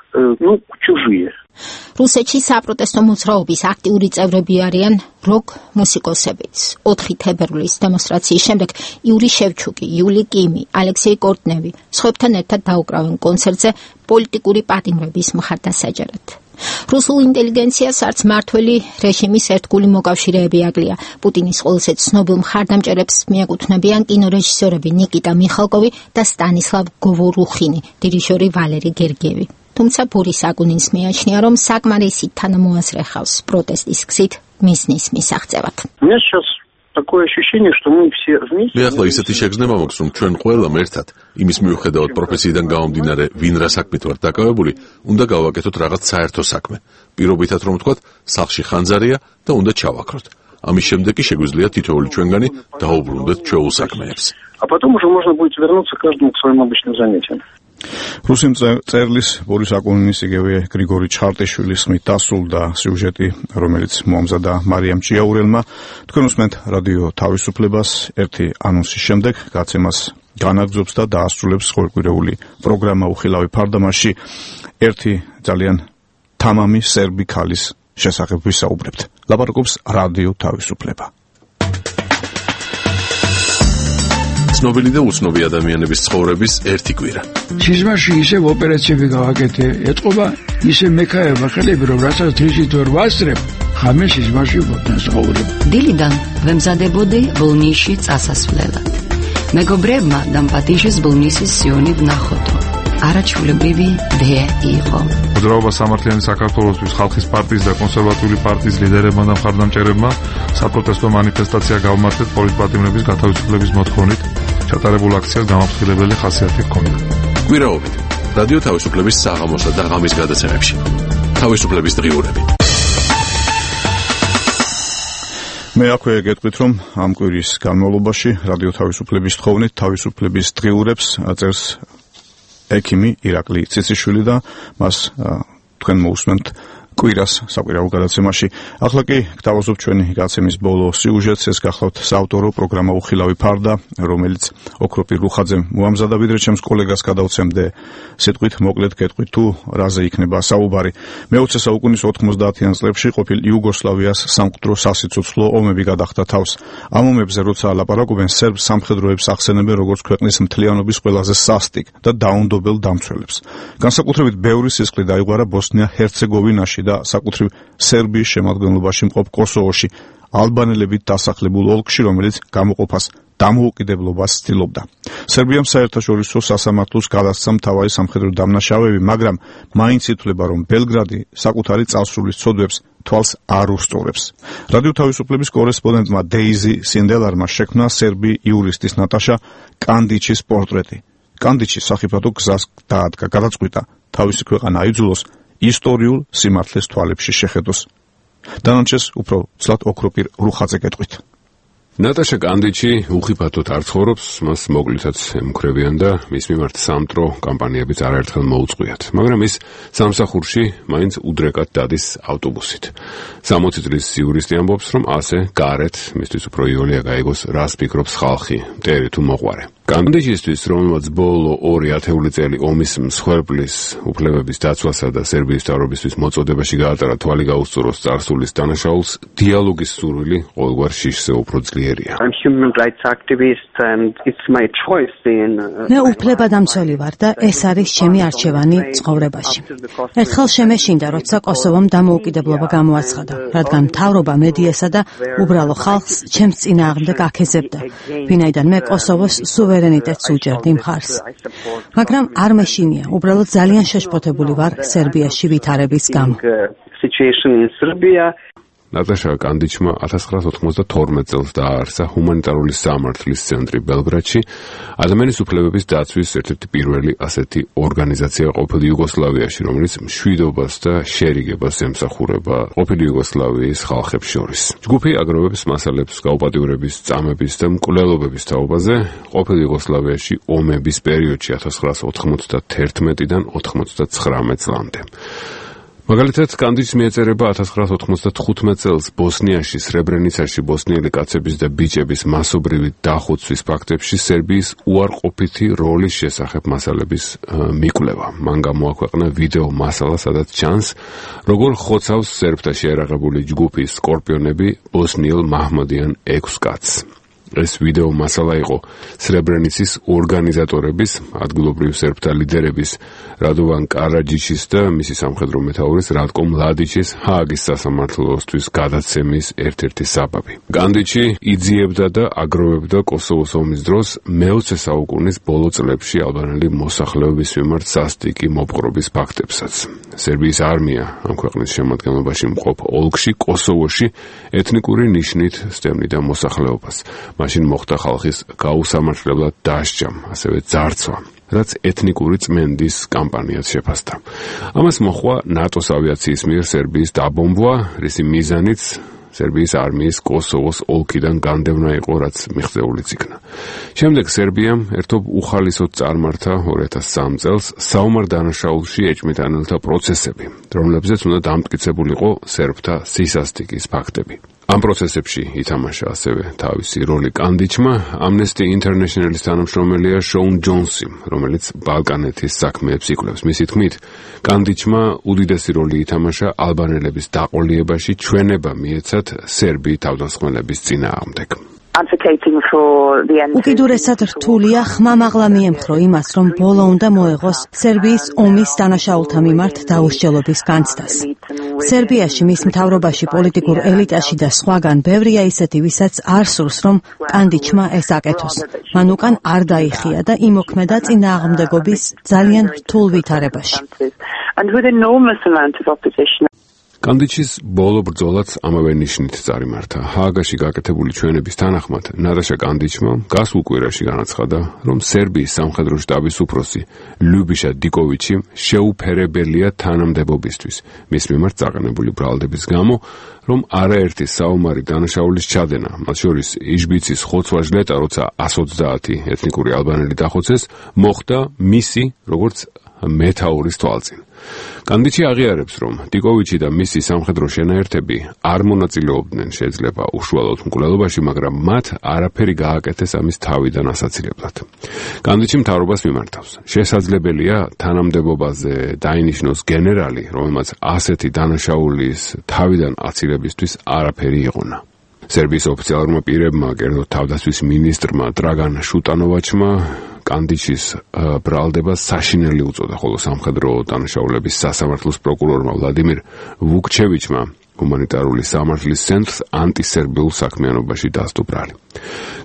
чужие. რუსეთში საპროტესტო მოძრაობის აქტიური წევრები არიან როკ მუსიკოსებიც. 4 თებერვლის დემონსტრაციის შემდეგ იური შევჩუკი, იული კიმი, ალექსეი კორტნევი სხვებთან ერთად დაუკრავენ კონცერტზე პოლიტიკური პატიმრების მხარდასაჭერად. რუსულ ინტელიგენციას არც მართველი რეჟიმის ერთგული მოკავშირეები აკლია. პუტინის ყველაზე ცნობილ მხარდამჭერებს მიეკუთვნებიან კინორეჟისორები ნიკიტა მიხალკოვი და სტანისლავ გოვორუხინი, დირიჟორი ვალერი გერგიევი. თუმცა ბორის აკუნინს მიაჩნია, რომ საკმარისი თანამოაზრე ხავს პროტესტის გზით მიზნის მისაღწევად. Такое ощущение, что мы все вместе. მე ახლა ისეთი შეგრძნება მაქვს, რომ ჩვენ ყველამ ერთად, იმის მიუხედავად პროფესიიდან გამომდინარე, ვინ რა საქმით ვართ დაკავებული, უნდა გავაკეთოთ რაღაც საერთო საქმე. პირობითად რომ ვთქვათ, სახლში ხანძარია და უნდა ჩავაქროთ. ამის შემდეგ კი შეგვიძლია თითოეული ჩვენგანი დაუბრუნდეთ ჩვეულ საქმეებს. А потом уже можно будет вернуться каждому к своим обычным занятиям. რუსი მწერლის ბორის აკუნინის იგივე გრიგორი ჩხარტიშვილის ხმით დასრულდა სიუჟეტი, რომელიც მოამზადა მარიამ ჭიაურელმა. თქვენ უსმენთ რადიო თავისუფლებას ერთი ანონსის შემდეგ, გაცემას განაგრძობს და დაასრულებს ყოველკვირეული პროგრამა უხილავი ფარდამაში ერთი ძალიან თამამი სერბი ქალის შესახებ ვისაუბრებთ. ლაპარაკობს რადიო თავისუფლება. ცნობილი და უცნობი ადამიანების ცხოვრების ერთი კვირა. სიზმარში ისევ ოპერაციები გავაკეთე, ეთყობა ისე მექაება ხელები, რომ რასაც დრიჟით ვერ ვასწრებ, ხამე სიზმარში ვთანხმობ. დილიდან ვემზადებოდი ბოლნისში წასასვლელად. მეგობრებმა დამპატიჟეს ბოლნისის სიონი ვნახოთო. არაჩვეულებრივი დე იყო. მოძრაობა სამართლიანი საქართველოსთვის ხალხის პარტიის და კონსერვატიული პარტიის ლიდერებმა და მხარდამჭერებმა საპროტესტო მანიფესტაცია გავმართეთ პოლიტპატიმრების გათავისუფლების მოთხოვნით. ჩატარებულ აქციას გამაფრთხილებელი ხასიათი ჰქონდა. კვირაობით რადიო თავისუფლების საღამოსა და ღამის გადაცემებში. თავისუფლების დღიურები. მე აქვე გეტყვით, რომ ამ კვირის განმავლობაში რადიო თავისუფლების თხოვნით თავისუფლების დღიურებს წერს ექიმი ირაკლი ციციშვილი და მას თქვენ მოусმენთ კვირას საკვირაო გადაცემაში. ახლა კი გთავაზობ ჩვენი გაცემის ბოლო სიუჟეტს, ეს გახლავთ საავტორო პროგრამა უხილავი ფარდა, რომელიც ოქროპირ რუხაძემ მოამზადა, ვიდრე ჩემს კოლეგას გადავცემდე სიტყვით მოკლედ გეტყვით თუ რაზე იქნება საუბარი. მე-20 საუკუნის 90-იან წლებში ყოფილ იუგოსლავიას სამკვდრო სასიცოცხლო ომები გადახდა თავს. ამ ომებზე როცა ლაპარაკობენ, სერბ სამხედროებს ახსენებენ როგორც ქვეყნის მთლიანობის ყველაზე სასტიკ და დაუნდობელ დამცველებს. განსაკუთრებით ბევრი სისხლი დაიღვარა ბოსნია-ჰერცეგოვინაში და საკუთრივ სერბიის შემადგენლობაში მყოფ კოსოვოში. ალბანელებით დასახლებულ ოლქში, რომელიც გამოყოფას დამოუკიდებლობას ცდილობდა. სერბიამ საერთაშორისო სასამართლოს გადასცა მთავარი სამხედრო დამნაშავეები, მაგრამ მაინც ითვლება, რომ ბელგრადი საკუთარი წარსულის ცოდვებს თვალს არ უსწორებს. რადიო თავისუფლების კორესპონდენტმა დეიზი სინდელარმა შექმნა სერბი იურისტის ნატაშა კანდიჩის პორტრეტი. კანდიჩი სახიფათო გზას დაადგა, გადაწყვიტა თავისი ქვეყანა აიძულოს ისტორიულ სიმართლეს თვალებში შეხედოს. დანარჩენს უფრო ცლად ოქროპირ რუხაძე გეტყვით. ნატაშა კანდიჩი უხიფათოდ არ ცხოვრობს, მას მოკლითაც ემუქრებიან და მის მიმართ სამტრო კამპანიებიც არაერთხელ მოუწყვიათ, მაგრამ ის სამსახურში მაინც უდრეკად დადის ავტობუსით. 60 წლის იურისტი ამბობს, რომ ასე გარეთ მისთვის უფრო იოლია გაიგოს, რას ფიქრობს ხალხი, მტერი თუ მოყვარე. კანდიჩისთვის, რომელმაც ბოლო 2 ათეული წელი ომის მსხვერპლის უფლებების დაცვასა და სერბიის მთავრობისთვის მოწოდებაში გაატარა თვალი გაუსწოროს წარსულის დანაშაულს, დიალოგის სურვილი ყოველგვარ შიშზე უფრო ძლიერია. მე უფლებადამცველი ვარ და ეს არის ჩემი არჩევანი ცხოვრებაში. ერთხელ შემეშინდა, როცა კოსოვომ დამოუკიდებლობა გამოაცხადა, რადგან მთავრობა მედიასა და უბრალო ხალხს ჩემს წინააღმდეგ აქეზებდა, ვინაიდან მე კოსოვოს სუვერენიტეტს უჭერდი მხარს. მაგრამ არ მეშინია, უბრალოდ ძალიან შეშფოთებული ვარ სერბიაში ვითარების გამო. ნატაშა კანდიჩმა 1992 წელს დააარსა ჰუმანიტარული სამართლის ცენტრი ბელგრადში, ადამიანის უფლებების დაცვის ერთ-ერთი პირველი ასეთი ორგანიზაცია ყოფილი იუგოსლავიაში, რომელიც მშვიდობას და შერიგებას ემსახურება ყოფილი იუგოსლავიის ხალხებს შორის. ჯგუფი აგროვებს მასალებს გაუპატიურების, წამების და მკვლელობების თაობაზე ყოფილი იუგოსლავიაში ომების პერიოდში 1991-დან 99 წლამდე. მაგალითად, კანდიჩს მიეწერება 1995 წელს ბოსნიაში, სრებრენიცაში ბოსნიელი კაცების და ბიჭების მასობრივი დახოცვის ფაქტებში სერბიის უარყოფითი როლის შესახებ მასალების მიკვლევა. მან გამოაქვეყნა ვიდეო მასალა, სადაც ჩანს, როგორ ხოცავს სერბთა შეერაღებული ჯგუფის სკორპიონები ბოსნიელ მაჰმადიან 6 კაცს. ეს ვიდეო მასალა იყო სრებრენიცის ორგანიზატორების, ადგილობრივ სერბთა ლიდერების რადოვან კარაჯიჩის და მისი სამხედრო მეთაურის რატკო მლადიჩის ჰააგის სასამართლოსთვის გადაცემის ერთ-ერთი საბაბი. კანდიჩი იძიებდა და აგროვებდა კოსოვოს ომის დროს მე-20 საუკუნის ბოლო წლებში ალბანელი მოსახლეობის მიმართ სასტიკი მოპყრობის ფაქტებსაც. სერბიის არმია ამ ქვეყნის შემადგენლობაში მყოფ ოლქში, კოსოვოში ეთნიკური ნიშნით სტემნიდა მოსახლეობას. მაშინ მოხდა ხალხის გაუსამართლებლად დასჯა, ასევე ძარცვა, რაც ეთნიკური წმენდის კამპანიას შეფასდა. ამას მოჰყვა ნატოს ავიაციის მიერ სერბიის დაბომბვა, რისი მიზანიც სერბიის არმიის კოსოვოს ოლქიდან განდევნა იყო, რაც მიღწეულიც იქნა. შემდეგ სერბიამ ერთობ უხალისოდ წარმართა 2003 წელს საომარ დანაშაულში ეჭმიტანელთა პროცესები, რომლებზეც უნდა დამტკიცებულიყო სერბთა სისასტიკის ფაქტები. ამ პროცესებში ითამაშა ასევე თავისი როლი კანდიჩმა, Amnesty International-ის თანამშრომელია შოუნ ჯონსი, რომელიც ბალკანეთის საქმეებს იკვლევს. მისი თქმით, კანდიჩმა უდიდესი როლი ითამაშა ალბანელების დაყოლიებაში, ჩვენება მიეცათ სერბი თავდამსხმელების წინააღმდეგ. უკიდურესად რთულია ხმამაღლა მიემხრო იმას, რომ ბოლო უნდა მოეღოს სერბიის ომის დანაშაულთა მიმართ დაუსჯელობის განცდას. სერბიაში, მის მთავრობაში, პოლიტიკურ ელიტაში და სხვაგან ბევრია ისეთი, ვისაც არ სურს, რომ კანდიჩმა ეს აკეთოს. მან უკან არ დაიხია და იმოქმედა წინააღმდეგობის ძალიან რთულ ვითარებაში. კანდიჩის ბოლო ბრძოლაც ამავე ნიშნით წარიმართა. ჰააგაში გაკეთებული ჩვენების თანახმად, ნატაშა კანდიჩმა გასულ კვირაში განაცხადა, რომ სერბიის სამხედრო შტაბის უფროსი ლიუბიშა დიკოვიჩი შეუფერებელია თანამდებობისთვის, მის მიმართ წაყენებული ბრალდების გამო, რომ არაერთი საომარი დანაშაულის ჩადენა, მათ შორის იჟბიცის ხოცვა-ჟლეტა, როცა 130 ეთნიკური ალბანელი დახოცეს, მოხდა მისი, როგორც მეთაურის თვალწინ. კანდიჩი აღიარებს, რომ დიკოვიჩი და მისი სამხედრო შენაერთები არ მონაწილეობდნენ შეიძლება უშუალოდ მკვლელობაში, მაგრამ მათ არაფერი გააკეთეს ამის თავიდან ასაცილებლად. კანდიჩი მთავრობას მიმართავს. შესაძლებელია თანამდებობაზე დაინიშნოს გენერალი, რომელმაც ასეთი დანაშაულის თავიდან აცილებისთვის არაფერი იყონა. სერბიის ოფიციალურმა პირებმა, კერძოდ თავდაცვის მინისტრმა დრაგან შუტანოვაჩმა კანდიჩის ბრალდება საშინელი უწოდა, ხოლო სამხედრო დანაშაულების სასამართლოს პროკურორმა ვლადიმირ ვუკჩევიჩმა ჰუმანიტარული სამართლის ცენტრს ანტისერბიულ საქმიანობაში დასდო ბრალი.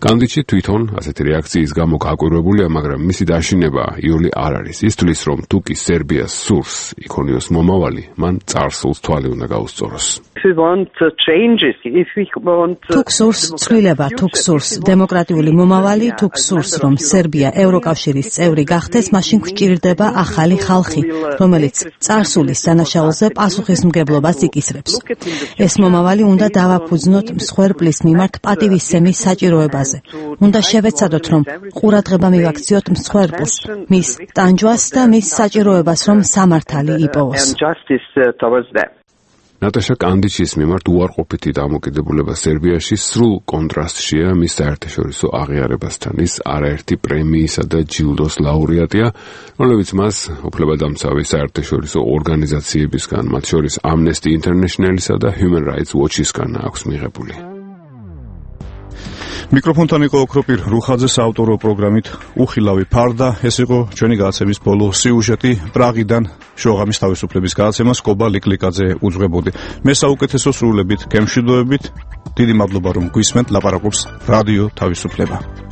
კანდიჩი თვითონ ასეთი რეაქციის გამო გაკვირვებულია, მაგრამ მისი დაშინება იოლი არ არის. ის თვლის, რომ თუ კი სერბიას სურს იქონიოს მომავალი, მან წარსულს თვალი უნდა გაუსწოროს. თუ გსურს ცვლილება, თუ გსურს დემოკრატიული მომავალი, თუ გსურს, რომ სერბია ევროკავშირის წევრი გახდეს, მაშინ გვჭირდება ახალი ხალხი, რომელიც წარსულის დანაშაულზე პასუხისმგებლობას იკისრებს. ეს მომავალი უნდა დავაფუძნოთ მსხვერპლის მიმართ პატივისცემის საჭიროებაზე. უნდა შევეცადოთ, რომ ყურადღება მივაქციოთ მსხვერპლს, მის ტანჯვას და მის საჭიროებას, რომ სამართალი იპოვოს. ნატაშა კანდიჩის მიმართ უარყოფითი დამოკიდებულება სერბიაში სრულ კონტრასტშია მის საერთაშორისო აღიარებასთან. ის არაერთი პრემიისა და ჯილდოს ლაურეატია, რომლებიც მას უფლებადამცავი საერთაშორისო ორგანიზაციებისგან, მათ შორის Amnesty International-ისა და Human Rights Watch-ისგან აქვს მიღებული. მიკროფონთან იყო ოქროპირ რუხაძე საავტორო პროგრამით უხილავი ფარდა. ეს იყო ჩვენი გადაცემის ბოლო სიუჟეტი. პრაღიდან შოღამის თავისუფლების გადაცემას კობა ლიკლიკაძე უძღვებოდი. მე საუკეთესო სრულებით, გემშვიდობებით. დიდი მადლობა რომ გვისმენთ, ლაპარაკობს რადიო თავისუფლება.